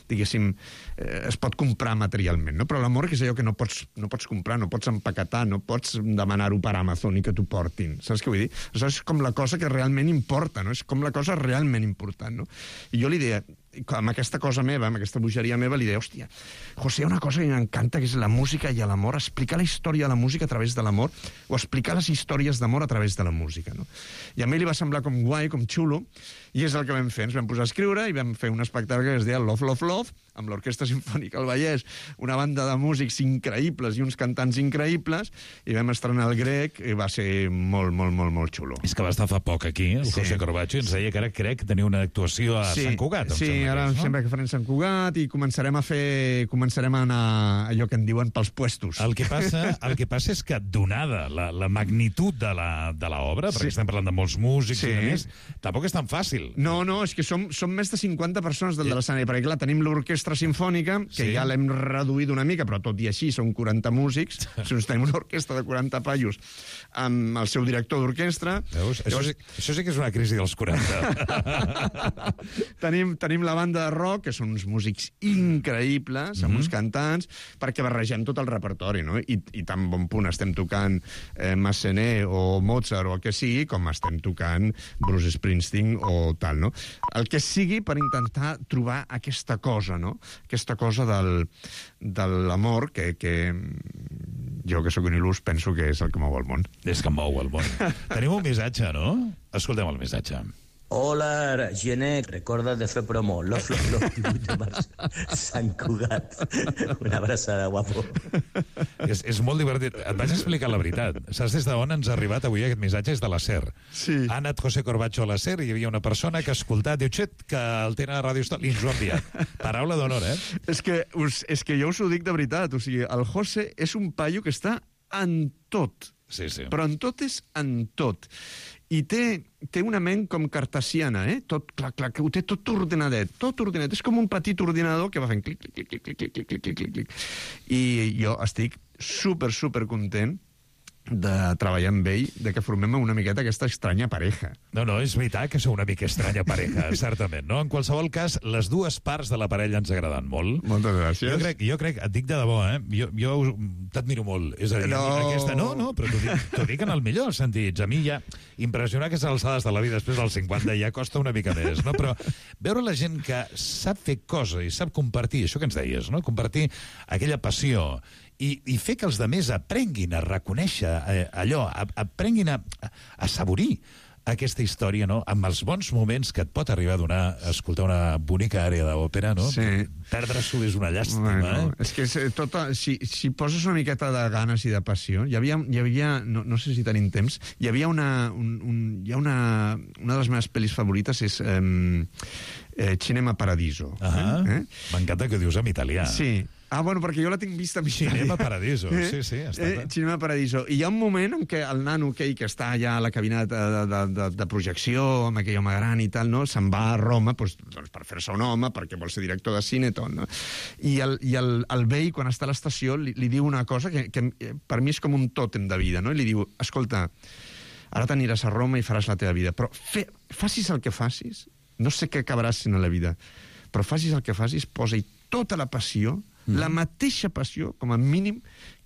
H: diguéssim, eh, es pot comprar materialment, no? Però l'amor és allò que no pots, no pots comprar, no pots empaquetar, no pots demanar-ho per Amazon i que t'ho portin. Saps què vull dir? Això és com la cosa que realment importa, no? És com la cosa realment important, no? I jo li deia, amb aquesta cosa meva, amb aquesta bogeria meva, li deia, hòstia, José, hi ha una cosa que m'encanta, que és la música i l'amor, explicar la història de la música a través de l'amor, o explicar les històries d'amor a través de la música, no? I a mi li va semblar com guai, com xulo, i és el que vam fer. Ens vam posar a escriure i vam fer un espectacle que es deia Love, Love, Love, amb l'Orquestra Simfònica del Vallès, una banda de músics increïbles i uns cantants increïbles, i vam estrenar el grec, i va ser molt, molt, molt, molt xulo.
G: És que va estar fa poc aquí, el sí. José Corbacho, i ens deia que ara crec que tenia una actuació a
H: sí.
G: Sant Cugat.
H: Sí, ara
G: no?
H: sembla que farem Sant Cugat i començarem a fer... Començarem a anar allò que en diuen pels puestos.
G: El que passa, el que passa és que, donada la, la magnitud de la, de l'obra, perquè
H: Sí.
G: estem parlant de molts músics
H: Sí.
G: i de més, tampoc és tan fàcil.
H: No, no, és que som, som més de cinquanta persones del de l'escenari, perquè clar, tenim l'orquestra sinfònica, que
G: Sí.
H: ja l'hem reduït una mica, però tot i així són quaranta músics, o sigui, tenim una orquestra de quaranta paios amb el seu director d'orquestra.
G: Veus? Això, sí, això sí que és una crisi dels quaranta.
H: tenim, tenim la banda de rock, que són uns músics increïbles, amb
G: Mhm.
H: uns cantants, perquè barregem tot el repertori, no? I, i tan bon punt estem tocant eh, Massenet o Mozart o el que sigui, com estem tocant Bruce Springsteen o tal, no? El que sigui per intentar trobar aquesta cosa, no? Aquesta cosa del, de l'amor que, que jo, que sóc un il·lus, penso que és el que mou el món.
G: És que mou el món. Tenim un missatge, no? Escoltem el missatge.
I: Hola, Gené, recordes de fer promo. Los, los, los, divuit de març, Sant Cugat. Una abraçada, guapo.
G: És, és molt divertit. Et vaig explicar la veritat. Saps des d'on ens ha arribat avui aquest missatge? És de la SER.
H: Sí.
G: Ha anat José Corbacho a la SER i hi havia una persona que ha escoltat, diu, xet, que el tenen a Ràdio Estel, i ens ho ha enviat. Paraula d'honor, eh?
H: És que, us, és que jo us ho dic de veritat. O sigui, el José és un paio que està en tot.
G: Sí, sí.
H: Però en tot és en tot. I té, té una ment com cartesiana, eh? Tot, clar, clar, que ho té tot ordenadet, tot ordenadet. És com un petit ordinador que va fent clic, clic, clic, clic, clic, clic, clic, clic, clic, clic. I jo estic super, super content de treballar amb ell, de que formem una miqueta aquesta estranya pareja.
G: No, no, és veritat que sou una mica estranya pareja, certament, no? En qualsevol cas, les dues parts de la parella ens agraden molt.
H: Moltes gràcies.
G: Jo crec, jo crec, et dic de debò, eh? Jo, jo t'admiro molt. És a dir,
H: No.
G: aquesta... No, no, però t'ho dic, t'ho dic en el millor sentits. A mi ja impressionar aquestes alçades de la vida després dels cinquanta ja costa una mica més, no? Però veure la gent que sap fer coses i sap compartir, això que ens deies, no? Compartir aquella passió i, i fer que els demés aprenguin a reconèixer eh, allò, a, aprenguin a, a saborir aquesta història, no? Amb els bons moments que et pot arribar a donar escoltar una bonica àrea d'òpera, no?
H: Sí.
G: Perdre-s'ho és una llàstima,
H: Bueno,
G: eh?
H: és que és, eh, tota, si, si poses una miqueta de ganes i de passió, hi havia, hi havia no, no sé si tenim temps, hi havia una, un, un, hi ha una, una de les meves pel·lis favorites és eh, eh, Cinema Paradiso.
G: Ah,
H: eh?
G: m'encanta que ho dius en italià.
H: Sí. Ah, bueno, perquè jo la tinc vista en
G: Cinema Paradiso,
H: Eh?
G: sí, sí. Està
H: Eh, Cinema Paradiso. I hi ha un moment en què el nano aquell que està allà a la cabina de, de, de, de, de projecció, amb aquell home gran i tal, no? Se'n va a Roma doncs, doncs per fer-se un home, perquè vol ser director de cine, tot, no? I el, i el, el vell, quan està a l'estació, li, li diu una cosa que, que per mi és com un tòtem de vida, no? I li diu, escolta, ara t'aniràs a Roma i faràs la teva vida, però fe, facis el que facis, no sé què acabaràs sent a la vida, però facis el que facis, posa-hi tota la passió, la mateixa passió, com a mínim,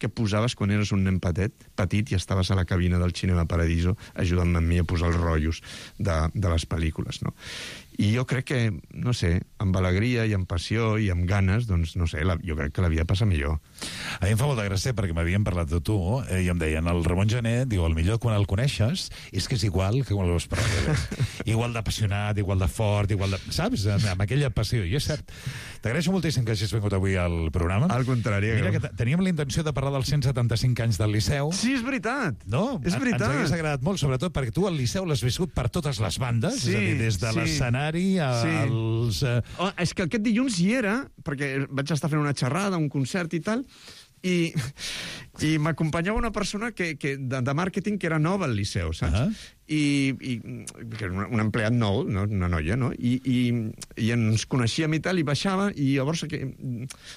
H: que posaves quan eres un nen petit, petit i estaves a la cabina del Cinema Paradiso ajudant-me a mi a posar els rotllos de, de les pel·lícules, no? I jo crec que, no sé, amb alegria i amb passió i amb ganes, doncs, no sé, la, jo crec que la vida passa millor.
G: A mi em fa molta gràcia perquè m'havien parlat de tu eh, i em deien, el Ramon Gené, diu, el millor quan el coneixes és que és igual que quan l'has parlat. Igual d'apassionat, igual de fort, igual de... Saps? Amb, amb aquella passió. I és cert. T'agraeixo moltíssim que hagis vingut avui al programa.
H: Al contrari.
G: Mira que teníem la intenció de parlar dels cent setanta-cinc anys del Liceu.
H: Sí, és veritat.
G: No?
H: És veritat.
G: Ens hagués agradat molt, sobretot perquè tu al Liceu l'has viscut per totes les bandes,
H: Sí,
G: és a dir, des de
H: sí.
G: l'escenari a,
H: Sí.
G: als... Eh...
H: Oh, és que aquest dilluns hi era, perquè vaig estar fent una xerrada, un concert i tal, i, i m'acompanyava una persona que, que de, de màrqueting que era nova al Liceu, saps?
G: Uh -huh.
H: I, i que era un, un empleat nou, no? Una noia, no? I, i, i ens coneixíem i tal, i baixava, i llavors que,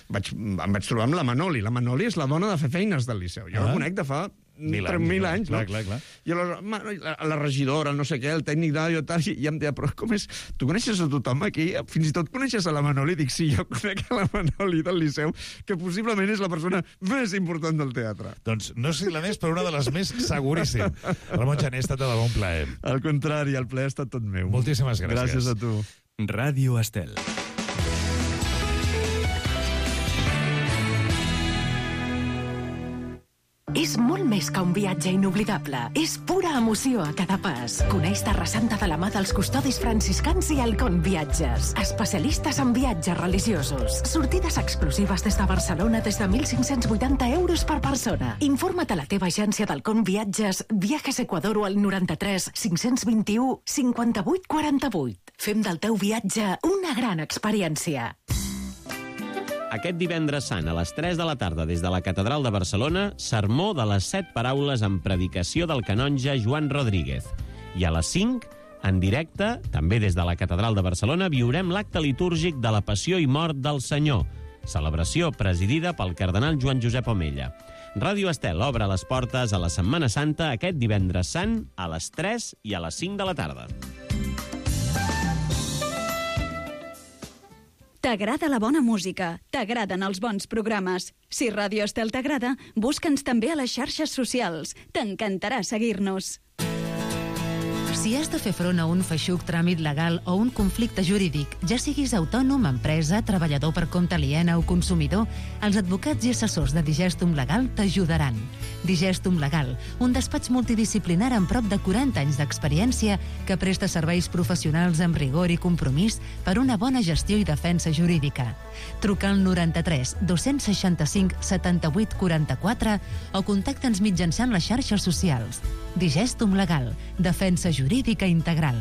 H: vaig, em vaig trobar amb la Manoli. La Manoli és la dona de fer feines del Liceu. Jo
G: Ah.
H: la conec de fa
G: Mil
H: per
G: anys,
H: mil
G: no?
H: anys,
G: Clar,
H: no?
G: clar, clar.
H: I aleshores, ma, la, la regidora, el no sé què, el tècnic d'àudio, tal, i, i em deia, però com és? Tu coneixes a tothom aquí? Fins i tot coneixes a la Manoli? Dic, sí, jo conec a la Manoli del Liceu, que possiblement és la persona més important del teatre.
G: Doncs no sé si la més, però una de les més, seguríssim. Ramon Gené, ha estat de debò un plaer.
H: Al contrari, el plaer ha estat tot meu.
G: Moltíssimes gràcies.
H: Gràcies a tu.
A: Ràdio Estel.
J: És és molt més que un viatge inoblidable. És pura emoció a cada pas. Coneix Terra Santa de la mà dels custodis franciscans i Halcón Viatges. Especialistes en viatges religiosos. Sortides exclusives des de Barcelona des de mil cinc-cents vuitanta euros per persona. Informa't a la teva agència d'Halcón Viatges, Viajes Ecuador o al noranta-tres cinc-cents vint-i-u cinquanta-vuit quaranta-vuit. Fem del teu viatge una gran experiència.
K: Aquest divendres sant, a les tres de la tarda, des de la Catedral de Barcelona, sermó de les set paraules amb predicació del canonge Joan Rodríguez. I a les cinc, en directe, també des de la Catedral de Barcelona, viurem l'acte litúrgic de la Passió i Mort del Senyor, celebració presidida pel cardenal Joan Josep Omella. Ràdio Estel obre les portes a la Setmana Santa aquest divendres sant a les tres i a les cinc de la tarda.
L: T'agrada la bona música, t'agraden els bons programes. Si Ràdio Estel t'agrada, busca'ns també a les xarxes socials. T'encantarà seguir-nos.
E: Si has de fer front a un feixuc tràmit legal o un conflicte jurídic, ja siguis autònom, empresa, treballador per compte aliena o consumidor, els advocats i assessors de Digestum Legal t'ajudaran. Digestum Legal, un despatx multidisciplinar amb prop de quaranta anys d'experiència que presta serveis professionals amb rigor i compromís per una bona gestió i defensa jurídica. Truca al noranta-tres dos-cents seixanta-cinc setanta-vuit quaranta-quatre o contacta'ns mitjançant les xarxes socials. Digestum Legal, defensa jurídica integral.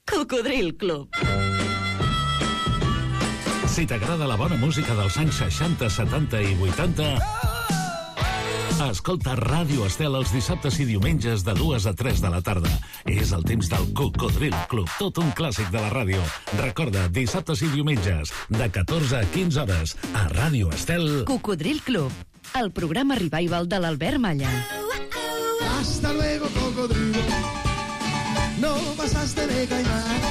L: Cocodril Club.
M: Si t'agrada la bona música dels anys seixanta, setanta i vuitanta, escolta Ràdio Estel els dissabtes i diumenges de dues a tres de la tarda. És el temps del Cocodril Club, tot un clàssic de la ràdio. Recorda, dissabtes i diumenges, de catorze a quinze hores, a Ràdio Estel.
L: Cocodril Club, el programa revival de l'Albert Malla.
N: Hasta luego, cocodrilo. No pasaste de caimán.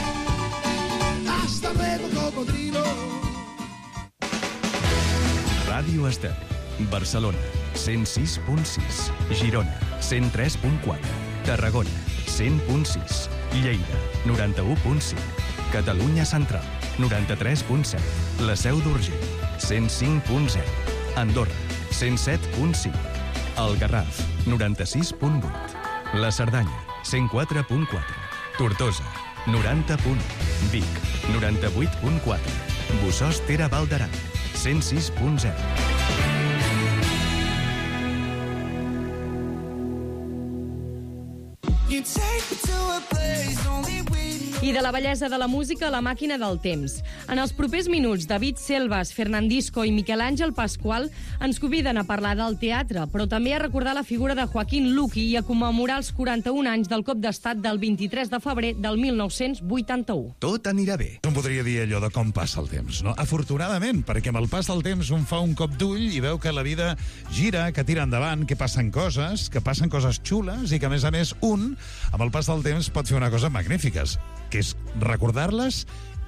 N: Hasta luego, cocodrilo.
A: Ràdio Estel, Barcelona, cent sis punt sis. Girona, cent tres punt quatre. Tarragona, cent punt sis. Lleida, noranta-u punt cinc. Catalunya Central, noranta-tres punt set. La Seu d'Urgell, cent cinc punt zero. Andorra, cent set punt cinc. El Garraf, noranta-sis punt vuit. La Cerdanya, cent quatre punt quatre. Tortosa, noranta punt u. Vic, noranta-vuit punt quatre. Bossòst Era Val d'Aran, cent sis punt zero.
F: I de la bellesa de la música, la màquina del temps. En els propers minuts, David Selvas, Fernandisco i Miquel Àngel Pasqual ens conviden a parlar del teatre, però també a recordar la figura de Joaquín Luqui i a commemorar els quaranta-un anys del cop d'estat del vint-i-tres de febrer del mil nou-cents vuitanta-u.
G: Tot anirà bé. Un podria dir allò de com passa el temps, no? Afortunadament, perquè amb el pas del temps un fa un cop d'ull i veu que la vida gira, que tira endavant, que passen coses, que passen coses xules i que, a més a més, un, amb el pas del temps, pot fer una cosa magnífiques, que és recordar-les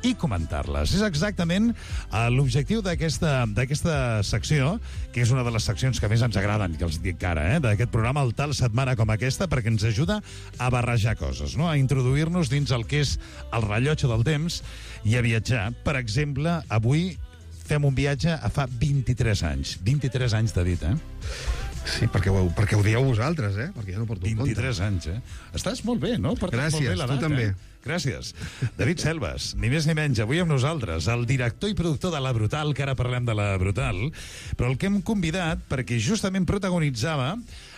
G: i comentar-les. És exactament uh, l'objectiu d'aquesta d'aquesta secció, que és una de les seccions que més ens agraden, que els dic ara, eh, d'aquest programa, el tal setmana com aquesta, perquè ens ajuda a barrejar coses, no? A introduir-nos dins el que és el rellotge del temps i a viatjar. Per exemple, avui fem un viatge a fa vint-i-tres anys. vint-i-tres anys de dit, eh?
O: Sí, perquè ho, perquè ho dieu vosaltres, eh? Perquè ja no porto
G: vint-i-tres anys, eh? Estàs molt bé, no? Portes
O: Gràcies,
G: molt bé la
O: tu
G: data.
O: també.
G: Gràcies. David Selvas, ni més ni menys, avui amb nosaltres, el director i productor de La Brutal, que ara parlem de La Brutal, però el que hem convidat perquè justament protagonitzava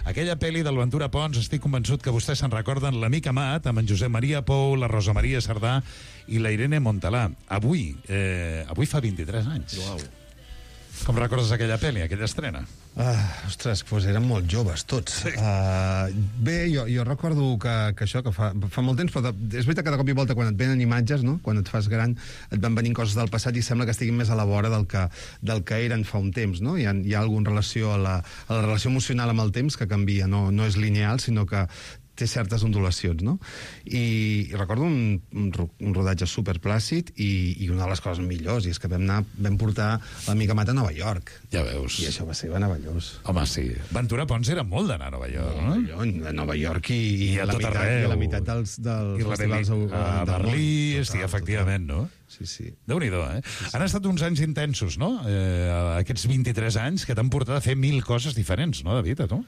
G: aquella pel·li del Ventura Pons, estic convençut que vostès se'n recorden, L'Amic Amat, amb en Josep Maria Pou, la Rosa Maria Sardà i la Irene Montalà. Avui, eh, avui fa vint-i-tres anys.
O: Uau.
G: Com recordes aquella pel·li, aquella estrena?
O: Ah, ostres, doncs eren molt joves, tots. Sí. Uh, bé, jo, jo recordo que, que això, que fa, fa molt temps, però de, és veritat que de cop i volta quan et venen imatges, no? Quan et fas gran, et van venint coses del passat i sembla que estiguin més a la vora del que, del que eren fa un temps, no? Hi ha, hi ha alguna relació a la, a la relació emocional amb el temps que canvia, no, no és lineal, sinó que té certes ondulacions, no? I, i recordo un, un, un rodatge superplàcid i, i una de les coses millors, i és que vam, anar, vam portar l'amiga Mata a Nova York.
G: Ja veus.
O: I això va ser meravellós.
G: Home, sí. Ventura Pons era molt d'anar a Nova York, no?
O: no? A Nova York i, i,
G: I a
O: la
G: tot
O: meitat,
G: arreu.
O: I la meitat dels, dels
G: I
O: festivals
G: Berlí, a Berlí, sí, efectivament, no?
O: Sí, sí.
G: Déu-n'hi-do, eh? Sí, sí. Han estat uns anys intensos, no? Eh, aquests vint-i-tres anys que t'han portat a fer mil coses diferents, no, David, a tu?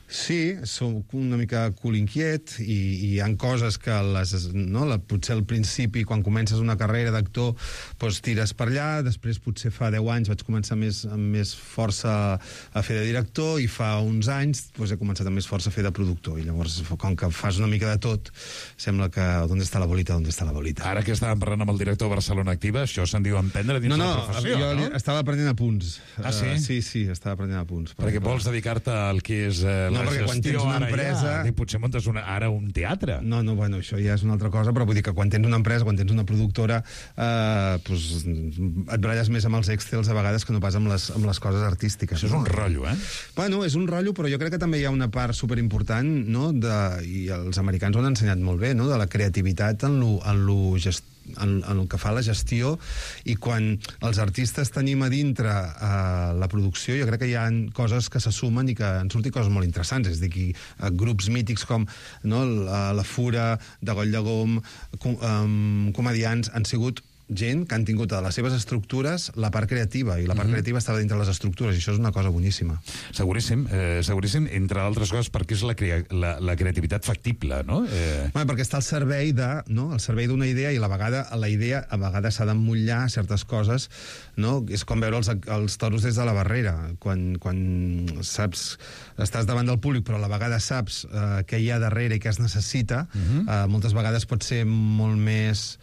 O: Sí, soc una mica cul inquiet i, i hi ha coses que les, no, la, potser al principi, quan comences una carrera d'actor, doncs tires per allà, després potser fa deu anys vaig començar més, amb més força a fer de director i fa uns anys doncs he començat amb més força a fer de productor i llavors, com que fas una mica de tot, sembla que on està la bolita, on està la bolita.
G: Ara que estàvem parlant amb el director de Barcelona Activa, això se'n diu emprendre dins
O: no, no,
G: la professió,
O: jo
G: no?
O: estava aprenent a punts.
G: Ah, sí?
O: Uh, sí, sí, estava aprenent a punts.
G: Perquè vols dedicar-te al que és eh,
O: no,
G: la
O: perquè
G: gestió,
O: quan tens una empresa...
G: Ja, potser muntes una, ara un teatre.
O: No, no, bueno, això ja és una altra cosa, però vull dir que quan tens una empresa, quan tens una productora, eh, pues, et baralles més amb els Excels a vegades que no pas amb les, amb les coses artístiques.
G: Això és un rotllo, eh?
O: Bueno, és un rotllo, però jo crec que també hi ha una part superimportant, no?, de, i els americans ho han ensenyat molt bé, no?, de la creativitat en lo, en lo gest, en, en el que fa la gestió, i quan els artistes tenim a dintre eh, la producció, jo crec que hi ha coses que se sumen i que han sortit coses molt interessants, és a dir, eh, grups mítics com no, la, la Fura, de Goll de Gom, com, um, comedians, han sigut gent que han tingut a les seves estructures la part creativa, i la part mm-hmm. creativa estava dintre les estructures, i això és una cosa boníssima.
G: Seguríssim, eh, seguríssim, entre altres coses, perquè és la, crea la, la creativitat factible, no? Eh...
O: Bueno, perquè està al servei de, no? al servei d'una idea, i a la vegada la idea a vegades s'ha d'emmotllar certes coses, no? És com veure els, els toros des de la barrera, quan, quan saps, estàs davant del públic, però a la vegada saps eh, què hi ha darrere i què es necessita, mm-hmm. eh, moltes vegades pot ser molt més...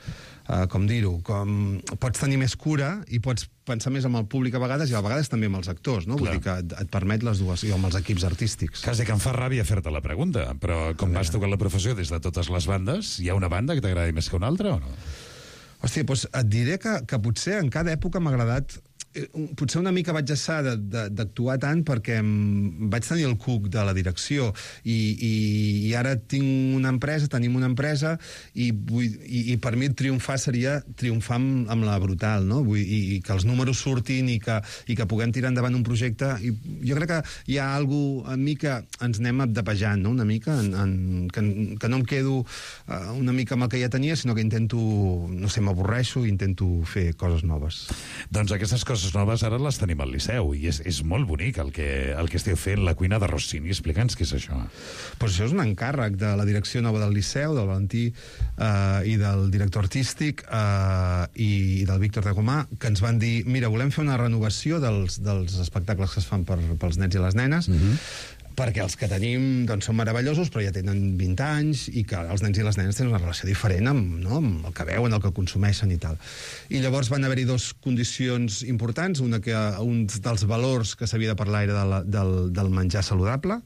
O: Uh, com dir-ho, com pots tenir més cura i pots pensar més amb el públic a vegades i a vegades també amb els actors, no? Clar. Vull dir que et, et permet les dues, i amb els equips artístics.
G: Quasi que em fa ràbia fer-te la pregunta, però com vas tocar la professió des de totes les bandes, hi ha una banda que t'agradi més que una altra o no?
O: Hòstia, doncs et diré que, que potser en cada època m'ha agradat... Potser una mica vaig deixar d'actuar tant perquè vaig tenir el cuc de la direcció i, i, i ara tinc una empresa, tenim una empresa i, vull, i, i per mi triomfar seria triomfar amb, amb la brutal, no? Vull, i, i que els números surtin i que, i que puguem tirar endavant un projecte. I jo crec que hi ha alguna cosa en mi que ens anem abdepejant, no? Una mica, en, en, que, que no em quedo uh, una mica amb el que ja tenia, sinó que intento, no sé, m'avorreixo i intento fer coses noves.
G: Doncs aquestes coses noves ara les tenim al Liceu i és, és molt bonic el que, el que esteu fent, la cuina de Rossini. Explica'ns què és això.
O: Pues això és un encàrrec de la direcció nova del Liceu, del Valentí eh, i del director artístic eh, i, i del Víctor de Comà, que ens van dir, mira, volem fer una renovació dels, dels espectacles que es fan per, pels nens i les nenes, mm-hmm. perquè els que tenim doncs, són meravellosos, però ja tenen vint anys, i que els nens i les nenes tenen una relació diferent amb, no, amb el que veuen, el que consumeixen i tal. I llavors van haver-hi dues condicions importants, una que un dels valors que s'havia de parlar era de la, del, del menjar saludable,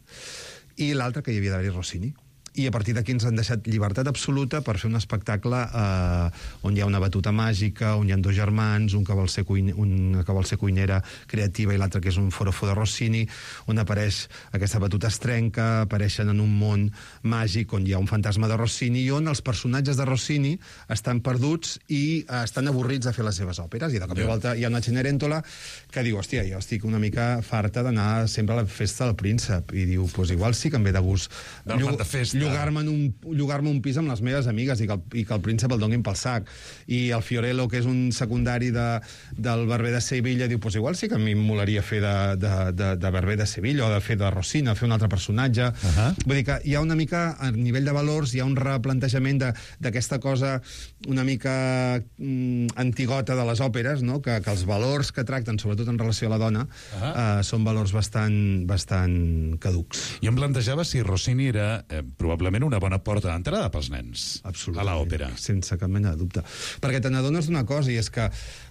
O: i l'altra que hi havia d'haver-hi Rossini. I a partir d'aquí ens han deixat llibertat absoluta per fer un espectacle eh, on hi ha una batuta màgica, on hi ha dos germans, un que vol ser, cuine, un que vol ser cuinera creativa i l'altre que és un forofo de Rossini, on apareix aquesta batuta es trenca, apareixen en un món màgic on hi ha un fantasma de Rossini i on els personatges de Rossini estan perduts i eh, estan avorrits de fer les seves òperes. I de cop i volta hi ha una Cenerentola que diu, hòstia, jo estic una mica farta d'anar sempre a la festa del príncep. I diu, doncs pues igual sí que em ve de gust llogar-me un, llogar un pis amb les meves amigues i que, el, i que el príncep el donin pel sac. I el Fiorello, que és un secundari de, del Barber de Sevilla, diu, doncs pues igual sí que a mi em molaria fer de, de, de, de Barber de Sevilla o de fer de Rossina, fer un altre personatge. Uh -huh. Vull dir que hi ha una mica, a nivell de valors, hi ha un replantejament d'aquesta cosa una mica mm, antigota de les òperes, no? que, que els valors que tracten, sobretot en relació a la dona, uh -huh. eh, són valors bastant, bastant caducs.
G: Jo em plantejava si Rossini era eh, probablement una bona porta d'entrada pels nens a l'òpera.
O: Sense cap mena de dubte. Perquè te n'adones d'una cosa, i és que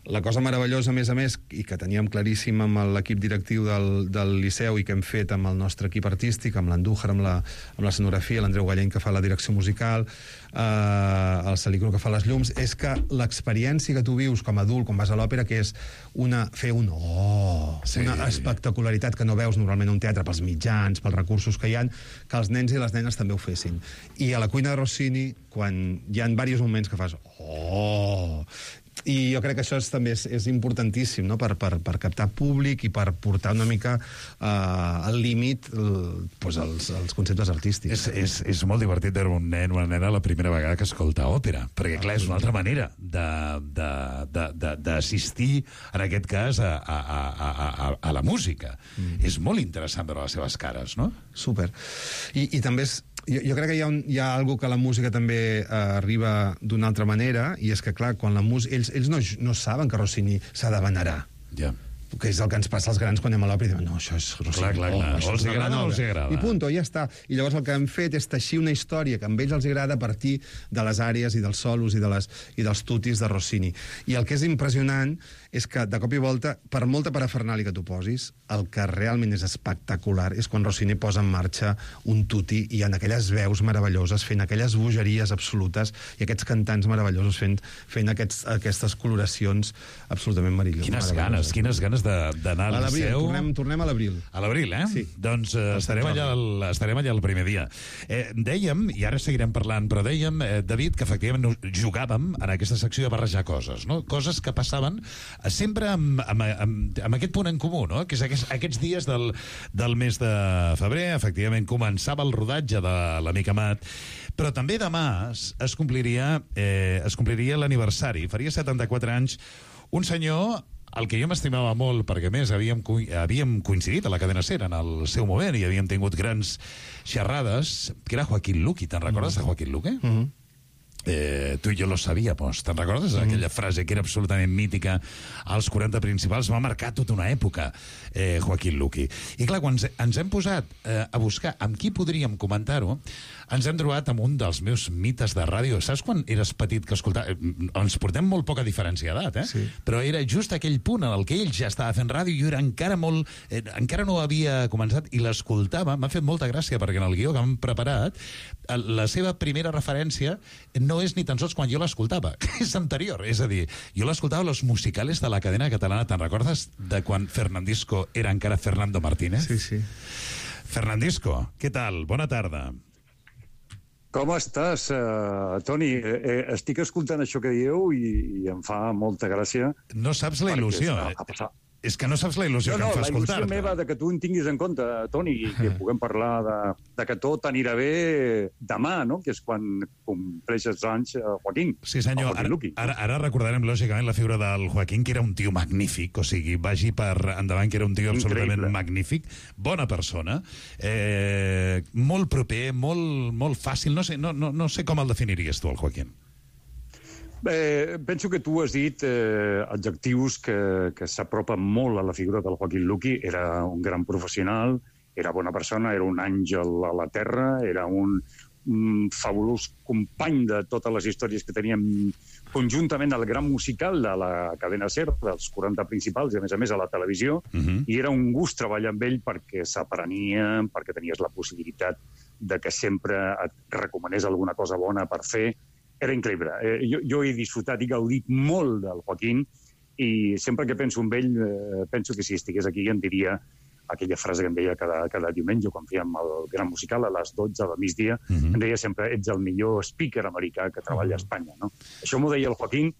O: la cosa meravellosa, a més a més, i que teníem claríssim amb l'equip directiu del, del Liceu i que hem fet amb el nostre equip artístic, amb l'Andújar, amb, la, amb l'escenografia, l'Andreu Galleny, que fa la direcció musical, uh, el Salicro que fa les llums, és que l'experiència que tu vius com a adult, quan vas a l'òpera, que és una, fer un oh, sí. una espectacularitat que no veus normalment a un teatre pels mitjans, pels recursos que hi ha, que els nens i les nenes també ho fessin. I a la cuina de Rossini, quan hi ha diversos moments que fas oh... I jo crec que això és, també és, és importantíssim, no? per, per, per captar públic i per portar una mica uh, al límit uh, pues els, els conceptes artístics.
G: És, és, és molt divertit veure un nen o una nena la primera vegada que escolta òpera, perquè clar, és una altra manera d'assistir, en aquest cas, a, a, a, a, a la música. Mm. És molt interessant veure les seves cares, no?
O: Súper. I, i també és... Jo, jo crec que hi ha, un, hi ha algo que la música també eh, arriba d'una altra manera, i és que, clar, quan la música... Ells, ells no, no saben que Rossini s'ha de venerar.
G: Ja.
O: Que és el que ens passa als grans quan anem a l'òpera i diuen, no, això és Rossini.
G: Clar, clar, clar.
O: Oh,
G: o els agrada o els agrada.
O: I punto, ja està. I llavors el que hem fet és teixir una història que a ells els agrada a partir de les àrees i dels solos i, de les, i dels tutis de Rossini. I el que és impressionant és que, de cop i volta, per molta parafernàlia que tu posis, el que realment és espectacular és quan Rossini posa en marxa un tuti i en aquelles veus meravelloses, fent aquelles bogeries absolutes i aquests cantants meravellosos fent, fent aquests, aquestes coloracions absolutament meravelloses.
G: Quines ganes, quines ganes d'anar al Liceu.
O: Tornem, tornem a l'abril.
G: A l'abril, eh?
O: Sí.
G: Doncs eh, estarem, allà el, estarem allà el primer dia. Eh, dèiem, i ara seguirem parlant, però dèiem, eh, David, que efectivament jugàvem en aquesta secció de barrejar coses, no? Coses que passaven sempre amb, amb, amb, amb aquest punt en comú, no? Que és aquests, aquests dies del, del mes de febrer, efectivament, començava el rodatge de l'Amic Amat, però també demà es, es compliria, eh, es compliria l'aniversari. Faria setanta-quatre anys un senyor el que jo m'estimava molt, perquè a més havíem, havíem coincidit a la cadena SER en el seu moment i havíem tingut grans xerrades, que era Joaquín Luqui. Te'n recordes de Joaquín Luqui? Mm-hmm. Eh, tu i jo lo sabíamos. Te'n recordes? Mm. Aquella frase que era absolutament mítica als quaranta principals. Va marcar tota una època, eh, Joaquín Luqui. I clar, quan ens hem posat eh, a buscar amb qui podríem comentar-ho, ens hem trobat amb un dels meus mites de ràdio. Saps quan eres petit que escoltava... Ens portem molt poca diferència d'edat, eh? Sí. Però era just aquell punt en el que ell ja estava fent ràdio i jo era encara molt... Eh, encara no havia començat i l'escoltava. M'ha fet molta gràcia perquè en el guió que hem preparat la seva primera referència no és ni tan sols quan jo l'escoltava, és anterior. És a dir, jo l'escoltava a los musicales de la cadena catalana. Te'n recordes de quan Fernandisco era encara Fernando Martínez?
O: Sí, sí.
G: Fernandisco, què tal? Bona tarda.
P: Com estàs, uh, Toni? Eh, estic escoltant això que dieu i, i em fa molta gràcia.
G: No saps la il·lusió.
P: Perquè,
G: és que no saps la il·lusió
P: no, no,
G: que em fa escoltar-te.
P: La il·lusió meva de que tu en tinguis en compte, Toni, i que puguem parlar de, de que tot anirà bé demà, no? Que és quan compleixes anys uh, Joaquín.
G: Sí, senyor. Ara, ara, ara recordarem, lògicament, la figura del Joaquín, que era un tio magnífic, o sigui, vagi per endavant, que era un tio absolutament Increïble. magnífic, bona persona, eh, molt proper, molt, molt fàcil. No sé, no, no, no sé com el definiries tu, el Joaquín.
P: Bé, penso que tu has dit eh, adjectius que, que s'apropen molt a la figura del Joaquín Luqui. Era un gran professional, era bona persona, era un àngel a la terra, era un, un fabulós company de totes les històries que teníem conjuntament al gran musical de la cadena SER, dels quaranta principals, i a més a més a la televisió, uh-huh. I era un gust treballar amb ell perquè s'aprenia, perquè tenies la possibilitat de que sempre et recomanés alguna cosa bona per fer. Era increïble. Eh, jo, jo he disfrutat i gaudit molt del Joaquín i sempre que penso en ell, eh, penso que si estigués aquí em diria aquella frase que em deia cada, cada diumenge quan fèiem el gran musical a les dotze del migdia, uh-huh. Em deia sempre, ets el millor speaker americà que treballa a Espanya. No? Això m'ho deia el Joaquín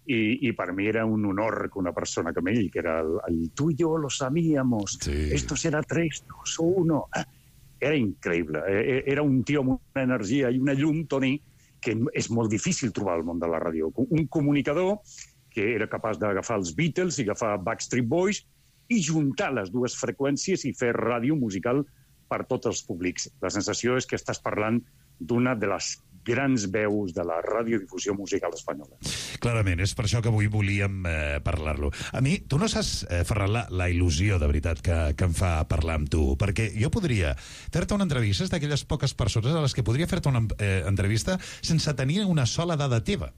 P: i, i per mi era un honor que una persona com ell, que era el, el tu i jo lo sabíamos, sí. Esto será tres, dos o uno. Era increïble. Era un tio amb una energia i una llum, Toni, que és molt difícil trobar al món de la ràdio. Un comunicador que era capaç d'agafar els Beatles i agafar Backstreet Boys i juntar les dues freqüències i fer ràdio musical per tots els públics. La sensació és que estàs parlant d'una de les grans veus de la radiodifusió musical espanyola.
G: Clarament, és per això que avui volíem eh, parlar-lo. A mi, tu no saps, eh, Ferran, la, la il·lusió de veritat que, que em fa parlar amb tu, perquè jo podria fer-te una entrevista, és d'aquelles poques persones a les que podria fer-te una eh, entrevista sense tenir una sola dada teva,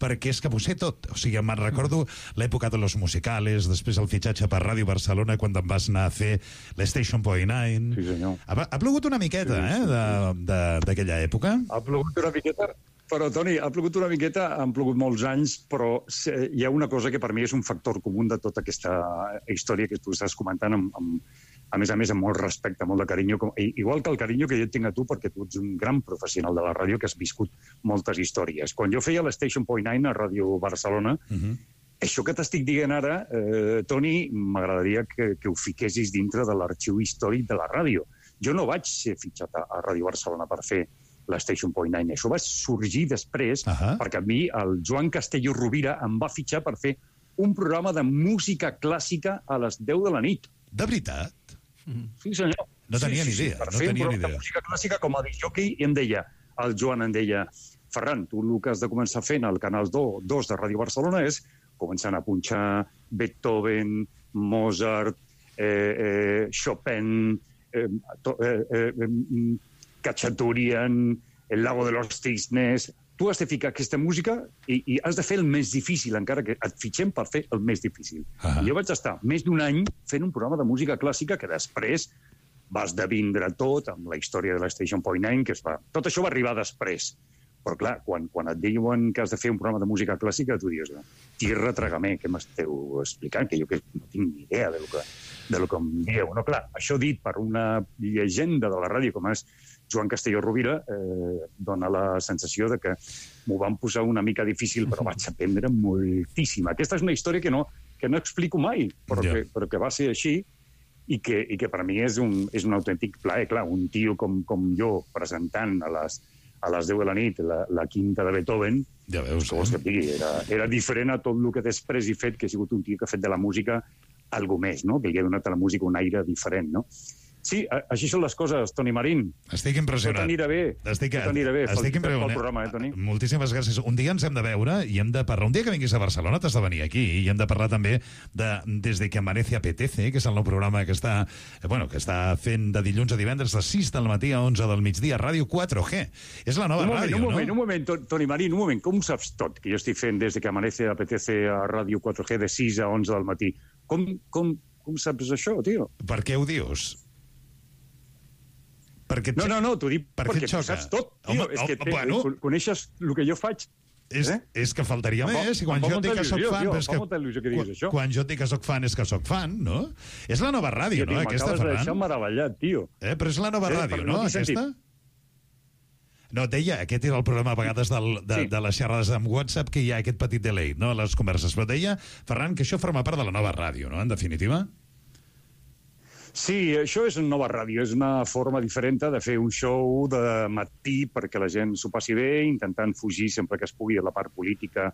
G: perquè és que ho sé tot. O sigui, me'n recordo l'època de los musicales, després el fitxatge per Ràdio Barcelona, quan em vas anar a fer l'Station Point Nine.
P: Sí, senyor.
G: Ha, ha plogut una miqueta, sí, sí, eh, d'aquella època.
P: Ha plogut una miqueta, Però, Toni, ha plogut una miqueta, han plogut molts anys, però hi ha una cosa que per mi és un factor comú de tota aquesta història que tu estàs comentant, amb, amb, a més a més, amb molt respecte, molt de carinyo, com, igual que el carinyo que jo et tinc a tu, perquè tu ets un gran professional de la ràdio que has viscut moltes històries. Quan jo feia l'Station Point Nine a Ràdio Barcelona, uh-huh. això que t'estic dient ara, eh, Toni, m'agradaria que, que ho fiquessis dintre de l'arxiu històric de la ràdio. Jo no vaig ser fitxat a, a Ràdio Barcelona per fer l'Station Point Nine. Això va sorgir després, uh-huh. perquè a mi el Joan Castelló Rovira em va fitxar per fer un programa de música clàssica a les deu de la nit.
G: De veritat?
P: Sí, senyor.
G: No tenia
P: sí,
G: ni
P: sí,
G: idea.
P: Sí, per
G: no
P: fer
G: tenia
P: un
G: ni
P: programa
G: idea.
P: de música clàssica com a disjockey, i em deia, el Joan em deia, Ferran, tu el que has de començar fent al Canal dos de Ràdio Barcelona és començant a punxar Beethoven, Mozart, eh, eh, Chopin, eh, to, eh, eh, Cacciaturian, El Lago de los Cisnes. Tu has de ficar aquesta música i, i has de fer el més difícil, encara que et fitxem per fer el més difícil. Uh-huh. Jo vaig estar més d'un any fent un programa de música clàssica que després va esdevindre tot amb la història de l'Station Point Nine, que es va... Tot això va arribar després. Però, clar, quan, quan et diuen que has de fer un programa de música clàssica, tu dius, tierra, trágame, què m'esteu explicant? Que jo que no tinc ni idea de lo que, de lo que em dieu. No, clar, això dit per una llegenda de la ràdio com és Joan Castelló Rovira, eh, dona la sensació de que m'ho van posar una mica difícil, però vaig aprendre moltíssim. Aquesta és una història que no, que no explico mai, però, yeah. que, però que va ser així, i que, i que per mi és un, és un autèntic plaer. Clar, un tio com, com jo presentant a les, a les deu de la nit la, la quinta de Beethoven,
G: ja veus,
P: que vols que et digui, era, era diferent a tot el que després he fet, que he sigut un tio que ha fet de la música algo més, no? Que li ha donat a la música un aire diferent, no? Sí, així són les coses, Toni Marín.
G: Estic impressionat.
P: Tot anirà bé.
G: Estic,
P: Tot anirà bé.
G: estic impressionat.
P: Pel programa, eh, Toni?
G: Moltíssimes gràcies. Un dia ens hem de veure i hem de parlar. Un dia que vinguis a Barcelona t'has de venir aquí i hem de parlar també de Desde que amanece apetece, que és el nou programa que està, bueno, que està fent de dilluns a divendres de sis del matí a onze del migdia, Ràdio quatre G. És la nova
P: un moment,
G: ràdio,
P: un
G: no?
P: moment, Un moment, Toni Marín, un moment. Com ho saps tot, que jo estic fent Desde que amanece apetece a Ràdio quatre G de sis a onze del matí? Com, com, com saps això, tio?
G: Per què ho dius? Perquè
P: no, no, no, t'ho dic
G: per
P: perquè tu saps tot, tio.
G: Home,
P: és que
G: home,
P: te,
G: bueno.
P: coneixes el que jo faig.
G: És, eh? és que faltaria
P: em
G: més. I quan jo et dic que soc fan...
P: Tio,
G: és que,
P: que
G: quan,
P: això.
G: quan jo et dic que soc fan, és que soc fan, no? És la nova ràdio,
P: tio,
G: no? Aquesta,
P: Ferran. M'acabes de deixar
G: Ferran.
P: meravellat, tio.
G: Eh? Però és la nova
P: eh,
G: ràdio,
P: no?
G: no? Aquesta? No, et deia, aquest era el problema a vegades del, de, sí. de les xerrades amb WhatsApp, que hi ha aquest petit delay, no?, a les converses. Però deia, Ferran, que això forma part de la nova ràdio, no?, en definitiva?
P: Sí, això és una nova ràdio, és una forma diferent de fer un show de matí perquè la gent s'ho passi bé, intentant fugir sempre que es pugui de la part política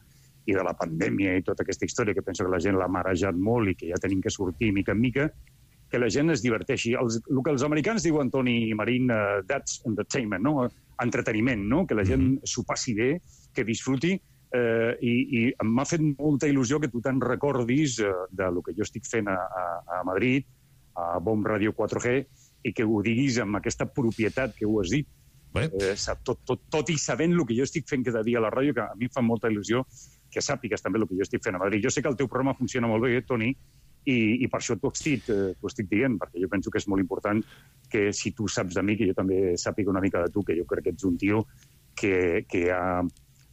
P: i de la pandèmia i tota aquesta història que penso que la gent l'ha marejat molt i que ja tenim que sortir mica en mica, que la gent es diverteixi. Els, el que els americans diuen, Toni Marín, uh, that's entertainment, no? Entreteniment, no? Que la gent mm-hmm. s'ho passi bé, que disfruti, eh, i, i m'ha fet molta il·lusió que tu te'n recordis uh, de lo que jo estic fent a, a, a Madrid, a Bomb Ràdio quatre G, i que ho diguis amb aquesta propietat que ho has dit. Eh, tot, tot, tot i sabent el que jo estic fent cada dia a la ràdio, que a mi em fa molta il·lusió que sàpigues també el que jo estic fent a Madrid. Jo sé que el teu programa funciona molt bé, Toni, i, i per això t'ho estic, eh, t'ho estic dient, perquè jo penso que és molt important que si tu saps de mi, que jo també sàpiga una mica de tu, que jo crec que ets un tio que, que ha,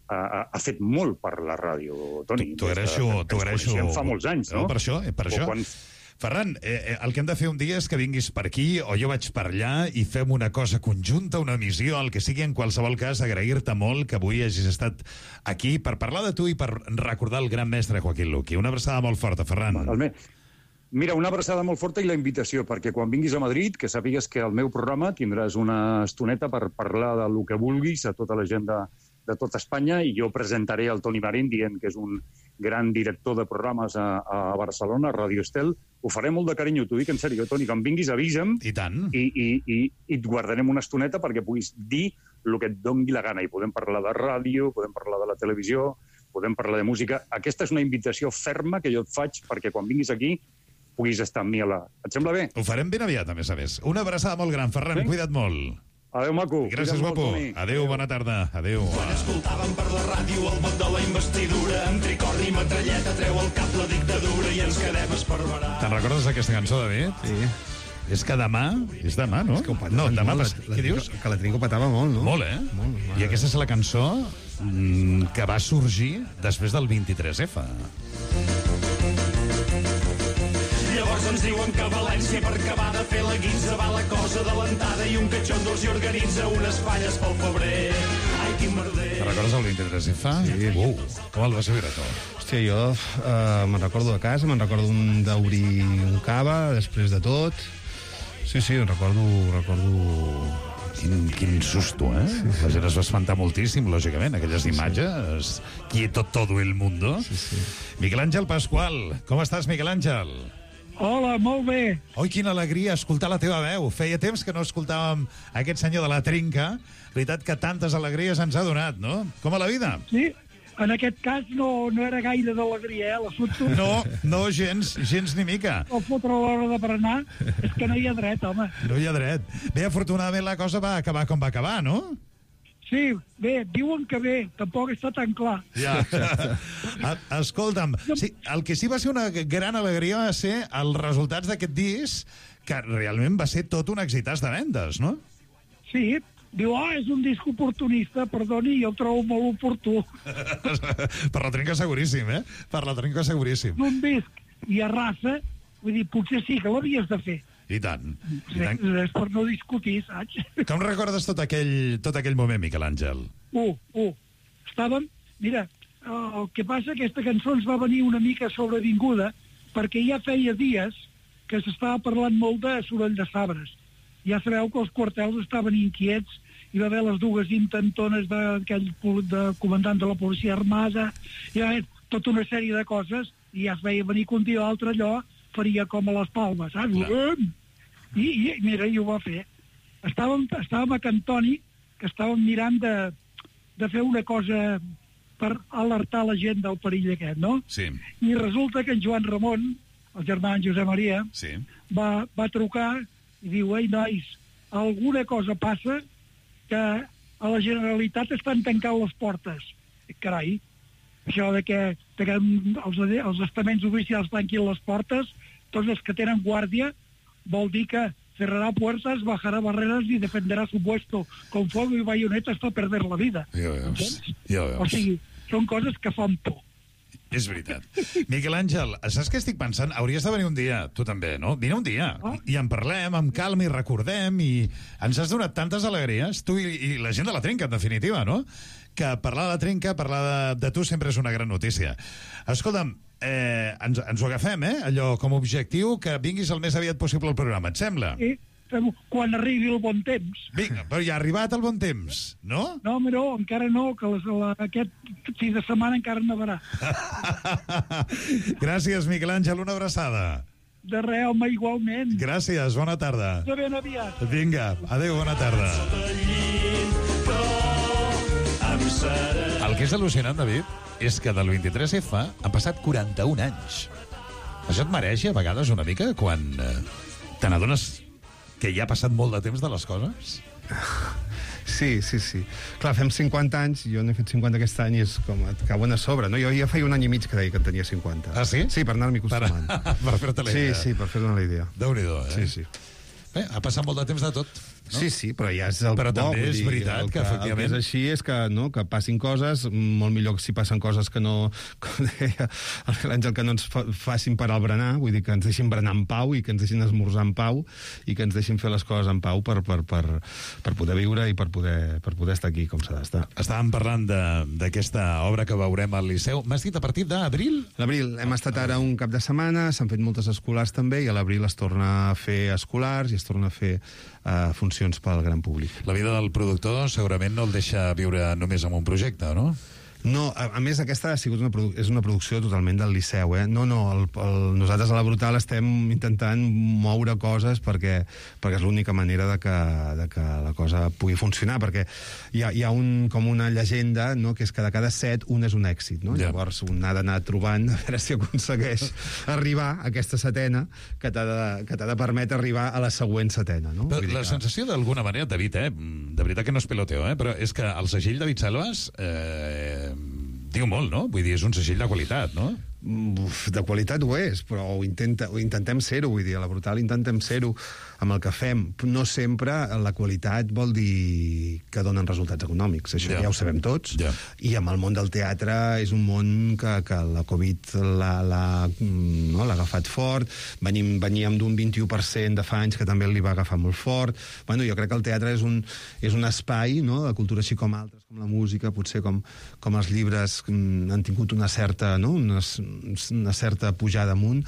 P: ha, ha fet molt per la ràdio, Toni.
G: T'ho agraeixo. T'ho agraeixo.
P: Fa molts anys, no?
G: no per això, per això.
P: Quan...
G: Ferran, eh, el que hem de fer un dia és que vinguis per aquí o jo vaig per allà i fem una cosa conjunta, una missió, el que sigui. En qualsevol cas, agrair-te molt que avui hagis estat aquí per parlar de tu i per recordar el gran mestre Joaquín Luqui. Una abraçada molt forta, Ferran.
P: Mira, una abraçada molt forta i la invitació, perquè quan vinguis a Madrid, que sàpigues que al meu programa tindràs una estoneta per parlar del que vulguis a tota la gent de, de tota Espanya, i jo presentaré el Toni Marín dient que és un gran director de programes a, a Barcelona, a Ràdio Estel. Ho faré molt de carinyo, t'ho dic en sèrio, Toni, quan vinguis avisa'm.
G: I tant.
P: I, i, i, i et guardarem una estoneta perquè puguis dir el que et doni la gana. I podem parlar de ràdio, podem parlar de la televisió, podem parlar de música. Aquesta és una invitació ferma que jo et faig perquè quan vinguis aquí puguis estar amb mi a la... Et sembla bé?
G: Ho farem ben aviat, a més a més. Una abraçada molt gran, Ferran, sí? Cuida't molt.
P: Adéu, maco.
G: Gràcies, guapo. Adéu, Adéu, bona tarda. Adéu.
Q: Quan escoltàvem per la ràdio el vot de la investidura, amb tricorni i metralleta treu el cap la dictadura i ens quedem esparverats.
G: Te'n recordes d'aquesta cançó, David?
O: Sí.
G: És que demà... És demà, no?
O: És que ho petaven
G: no, demà
O: molt,
G: pas...
O: la, la,
G: Què dius?
O: Que la Trinca ho petava molt, no?
G: Molt, eh?
O: Molt,
G: I aquesta és la cançó mm, que va sorgir després del vint-i-tres efa.
Q: Llavors ens diuen que a València per acabar de fer la guinza va la cosa adelantada i un catxondo els hi organitza unes falles pel febrer. Ai, quin merder.
G: Te recordes el vint-i-tres efa?
O: Sí.
G: Uh, com el vas viure tu?
O: Hòstia, jo uh, me'n recordo de casa, me'n recordo un d'obrir un cava després de tot. Sí, sí, recordo... recordo...
G: Quin, quin susto, eh? Sí, sí. La gent es va espantar moltíssim, lògicament, aquelles sí, imatges. Sí. Quieto todo el mundo.
O: Sí, sí.
G: Miquel Àngel Pasqual, com estàs, Miquel Àngel?
R: Hola, molt bé.
G: Oi, quina alegria escoltar la teva veu. Feia temps que no escoltàvem aquest senyor de la Trinca. Veritat que tantes alegries ens ha donat, no? Com a la vida?
R: Sí, en aquest cas no, no era gaire d'alegria, eh? La foto...
G: No, no, gens, gens ni mica.
R: El fotre a l'hora de berenar és que no hi ha dret, home.
G: No hi ha dret. Bé, afortunadament la cosa va acabar com va acabar, no?
R: Sí, bé, diuen que bé, tampoc està tan clar.
G: Ja. Escolta'm, sí, el que sí va ser una gran alegria va ser els resultats d'aquest disc, que realment va ser tot un exitàs de vendes, no?
R: Sí, diu, oh, és un disc oportunista, perdoni, jo el trobo molt oportú.
G: Per la Trinca seguríssim, eh? Per la Trinca seguríssim.
R: Un disc i a raça, vull dir, potser sí que l'havies de fer.
G: I tant. I
R: tant. És per no discutir, saps?
G: Com recordes tot aquell, tot aquell moment, Miquel Àngel?
R: Uh, uh, estàvem... Mira, el que passa, aquesta cançó ens va venir una mica sobrevinguda perquè ja feia dies que s'estava parlant molt de soroll de sabres. Ja sabeu que els quartels estaven inquiets, hi va haver les dues intentones d'aquell de comandant de la policia armada, hi va haver tota una sèrie de coses, i ja es veia venir que un dia o altre allò faria com a les palmes, saps? I, i mira, i ho va fer. Estàvem, estàvem a Cantoni, que estàvem mirant de, de fer una cosa per alertar la gent del perill aquest, no?
G: Sí.
R: I resulta que en Joan Ramon, el germà en Josep Maria,
G: sí.
R: va, va trucar i diu, ei, nois, alguna cosa passa que a la Generalitat estan tancant les portes. I, carai, això de que, de que els, els estaments oficials tanquin les portes, tots els que tenen guàrdia, vol dir que cerrará puertas, bajará barreras y defenderá su puesto con fuego y bayonetas para perder la vida.
G: Ja veus, ja veus.
R: O sigui, són coses que fan por.
G: És veritat. Miquel Àngel, saps què estic pensant? Hauries de venir un dia, tu també, no? Vine un dia, ah. i en parlem amb calma i recordem, i ens has donat tantes alegries, tu i, i la gent de la Trinca, en definitiva, no? Que parlar de la Trinca, parlar de, de tu sempre és una gran notícia. Escolta'm, eh, ens, ens ho agafem, eh? Allò com a objectiu, que vinguis el més aviat possible al programa, et sembla?
R: Sí, quan arribi el bon temps.
G: Vinga, però ja ha arribat el bon temps, no?
R: No, home, no, encara no, que les, la, aquest fi de setmana encara nevarà.
G: Gràcies, Miquel Àngel, una abraçada.
R: De res, home, igualment.
G: Gràcies, bona tarda.
R: De ben aviat.
G: Vinga, adéu, bona tarda. El que és al·lucinant, David, és que del vint-i-tres efa han passat quaranta-un anys. Això et mereix, a vegades, una mica, quan eh, te n'adones que ja ha passat molt de temps de les coses?
O: Sí, sí, sí. Clar, fem cinquanta anys, jo n'he fet cinquanta aquest any i és com et cauen a sobre, no? Jo ja feia un any i mig que deia que en tenia cinquanta.
G: Ah, sí?
O: Sí, per anar-m'hi acostumant.
G: Per, per fer-te la idea.
O: Sí, sí, per fer-te la idea.
G: Déu-n'hi-do, eh?
O: Sí, sí.
G: Bé, ha passat molt de temps de tot. No?
O: Sí, sí, però ja és el
G: però
O: bo.
G: Però també és
O: dir,
G: veritat
O: el
G: que,
O: que,
G: efectivament...
O: El que és així és que, no, que passin coses, molt millor si passen coses que no, com deia l'Àngel, que no ens fa, facin parar el berenar, vull dir que ens deixin berenar en pau i que ens deixin esmorzar en pau i que ens deixin fer les coses en pau per, per, per, per poder viure i per poder, per poder estar aquí com s'ha d'estar.
G: Estàvem parlant d'aquesta obra que veurem al Liceu. M'has dit a partir d'abril?
O: L'abril. Hem estat ara un cap de setmana, s'han fet moltes escolars també, i a l'abril es torna a fer escolars i es torna a fer uh, funcions pel gran públic.
G: La vida del productor segurament no el deixa viure només amb un projecte, no?
O: No, a, a més aquesta ha sigut una, és una producció totalment del Liceu, eh? No, no, el, el, nosaltres a la Brutal estem intentant moure coses perquè, perquè és l'única manera de que, de que la cosa pugui funcionar, perquè hi ha, hi ha un, com una llegenda, no?, que és que de cada set un és un èxit, no? Ja. Llavors un ha d'anar trobant a veure si aconsegueix arribar a aquesta setena que t'ha de, que t'ha de permetre arribar a la següent setena, no?
G: Però la que... sensació d'alguna manera, David, eh? De veritat que no és peloteo, eh? Però és que el segell David Selves... Eh... diu molt, no? Vull dir, és un segell de qualitat, no?
O: uf, de qualitat ho és, però ho, intenta, ho intentem ser-ho, vull dir, a la Brutal intentem ser-ho amb el que fem. No sempre la qualitat vol dir que donen resultats econòmics, això ja, ja ho sabem tots, ja. I amb el món del teatre és un món que, que la Covid l'ha no, agafat fort, venim, veníem d'un vint-i-u per cent de fa anys que també li va agafar molt fort. Bueno, jo crec que el teatre és un, és un espai, no?, de cultura, així com altres, com la música, potser com, com els llibres han tingut una certa, no?, una, una certa pujada amunt.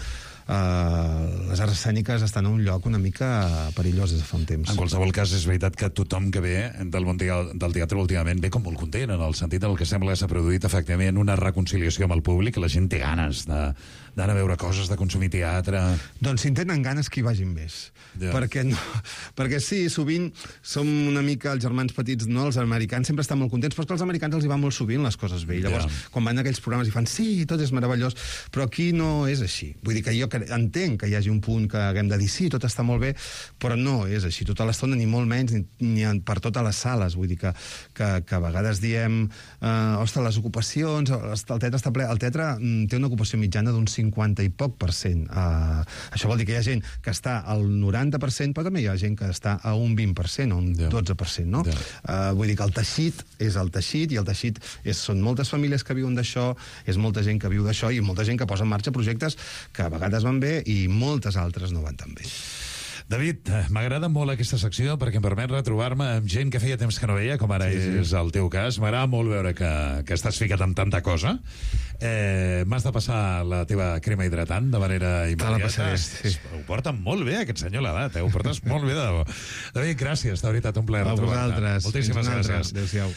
O: Uh, les arts escèniques estan a un lloc una mica perillós des de fa un temps.
G: En qualsevol cas, és veritat que tothom que ve del món del teatre últimament ve com molt content, en el sentit del que sembla que s'ha produït efectivament una reconciliació amb el públic, que la gent té ganes d'anar a veure coses, de consumir teatre.
O: Doncs si en tenen ganes, que hi vagin més. Ja. Perquè, no, perquè sí, sovint som una mica els germans petits, no? Els americans sempre estan molt contents, però és que als americans els hi va molt sovint les coses bé. I llavors, ja. Quan van a aquells programes i fan sí, tot és meravellós, però aquí no és així. Vull dir que jo entenc que hi hagi un punt que haguem de dir sí, tot està molt bé, però no és així tota l'estona, ni molt menys, ni, ni per totes les sales. Vull dir que, que, que a vegades diem eh, ostres, les ocupacions, el teatre està ple. El teatre té una ocupació mitjana d'un cinquanta i poc per cent. Eh, això vol dir que hi ha gent que està al noranta per cent, però també hi ha gent que està a un vint per cent o un dotze per cent, no? Ja. Eh, vull dir que el teixit és el teixit, i el teixit és, són moltes famílies que viuen d'això, és molta gent que viu d'això, i molta gent que posa en marxa projectes que a vegades van bé i moltes altres no van tan bé.
G: David, m'agrada molt aquesta secció perquè em permet retrobar-me amb gent que feia temps que no veia, com ara sí, sí. és el teu cas. M'agrada molt veure que, que estàs ficat amb tanta cosa. Eh, M'has de passar la teva crema hidratant de manera immediata. Sí. Ho porta molt bé, aquest senyor, l'edat. Eh? Ho portes molt bé. De... David, gràcies. De veritat, un plaer retrobar-te.
O: A vosaltres.
G: Moltíssimes gràcies.
O: Adéu-siau.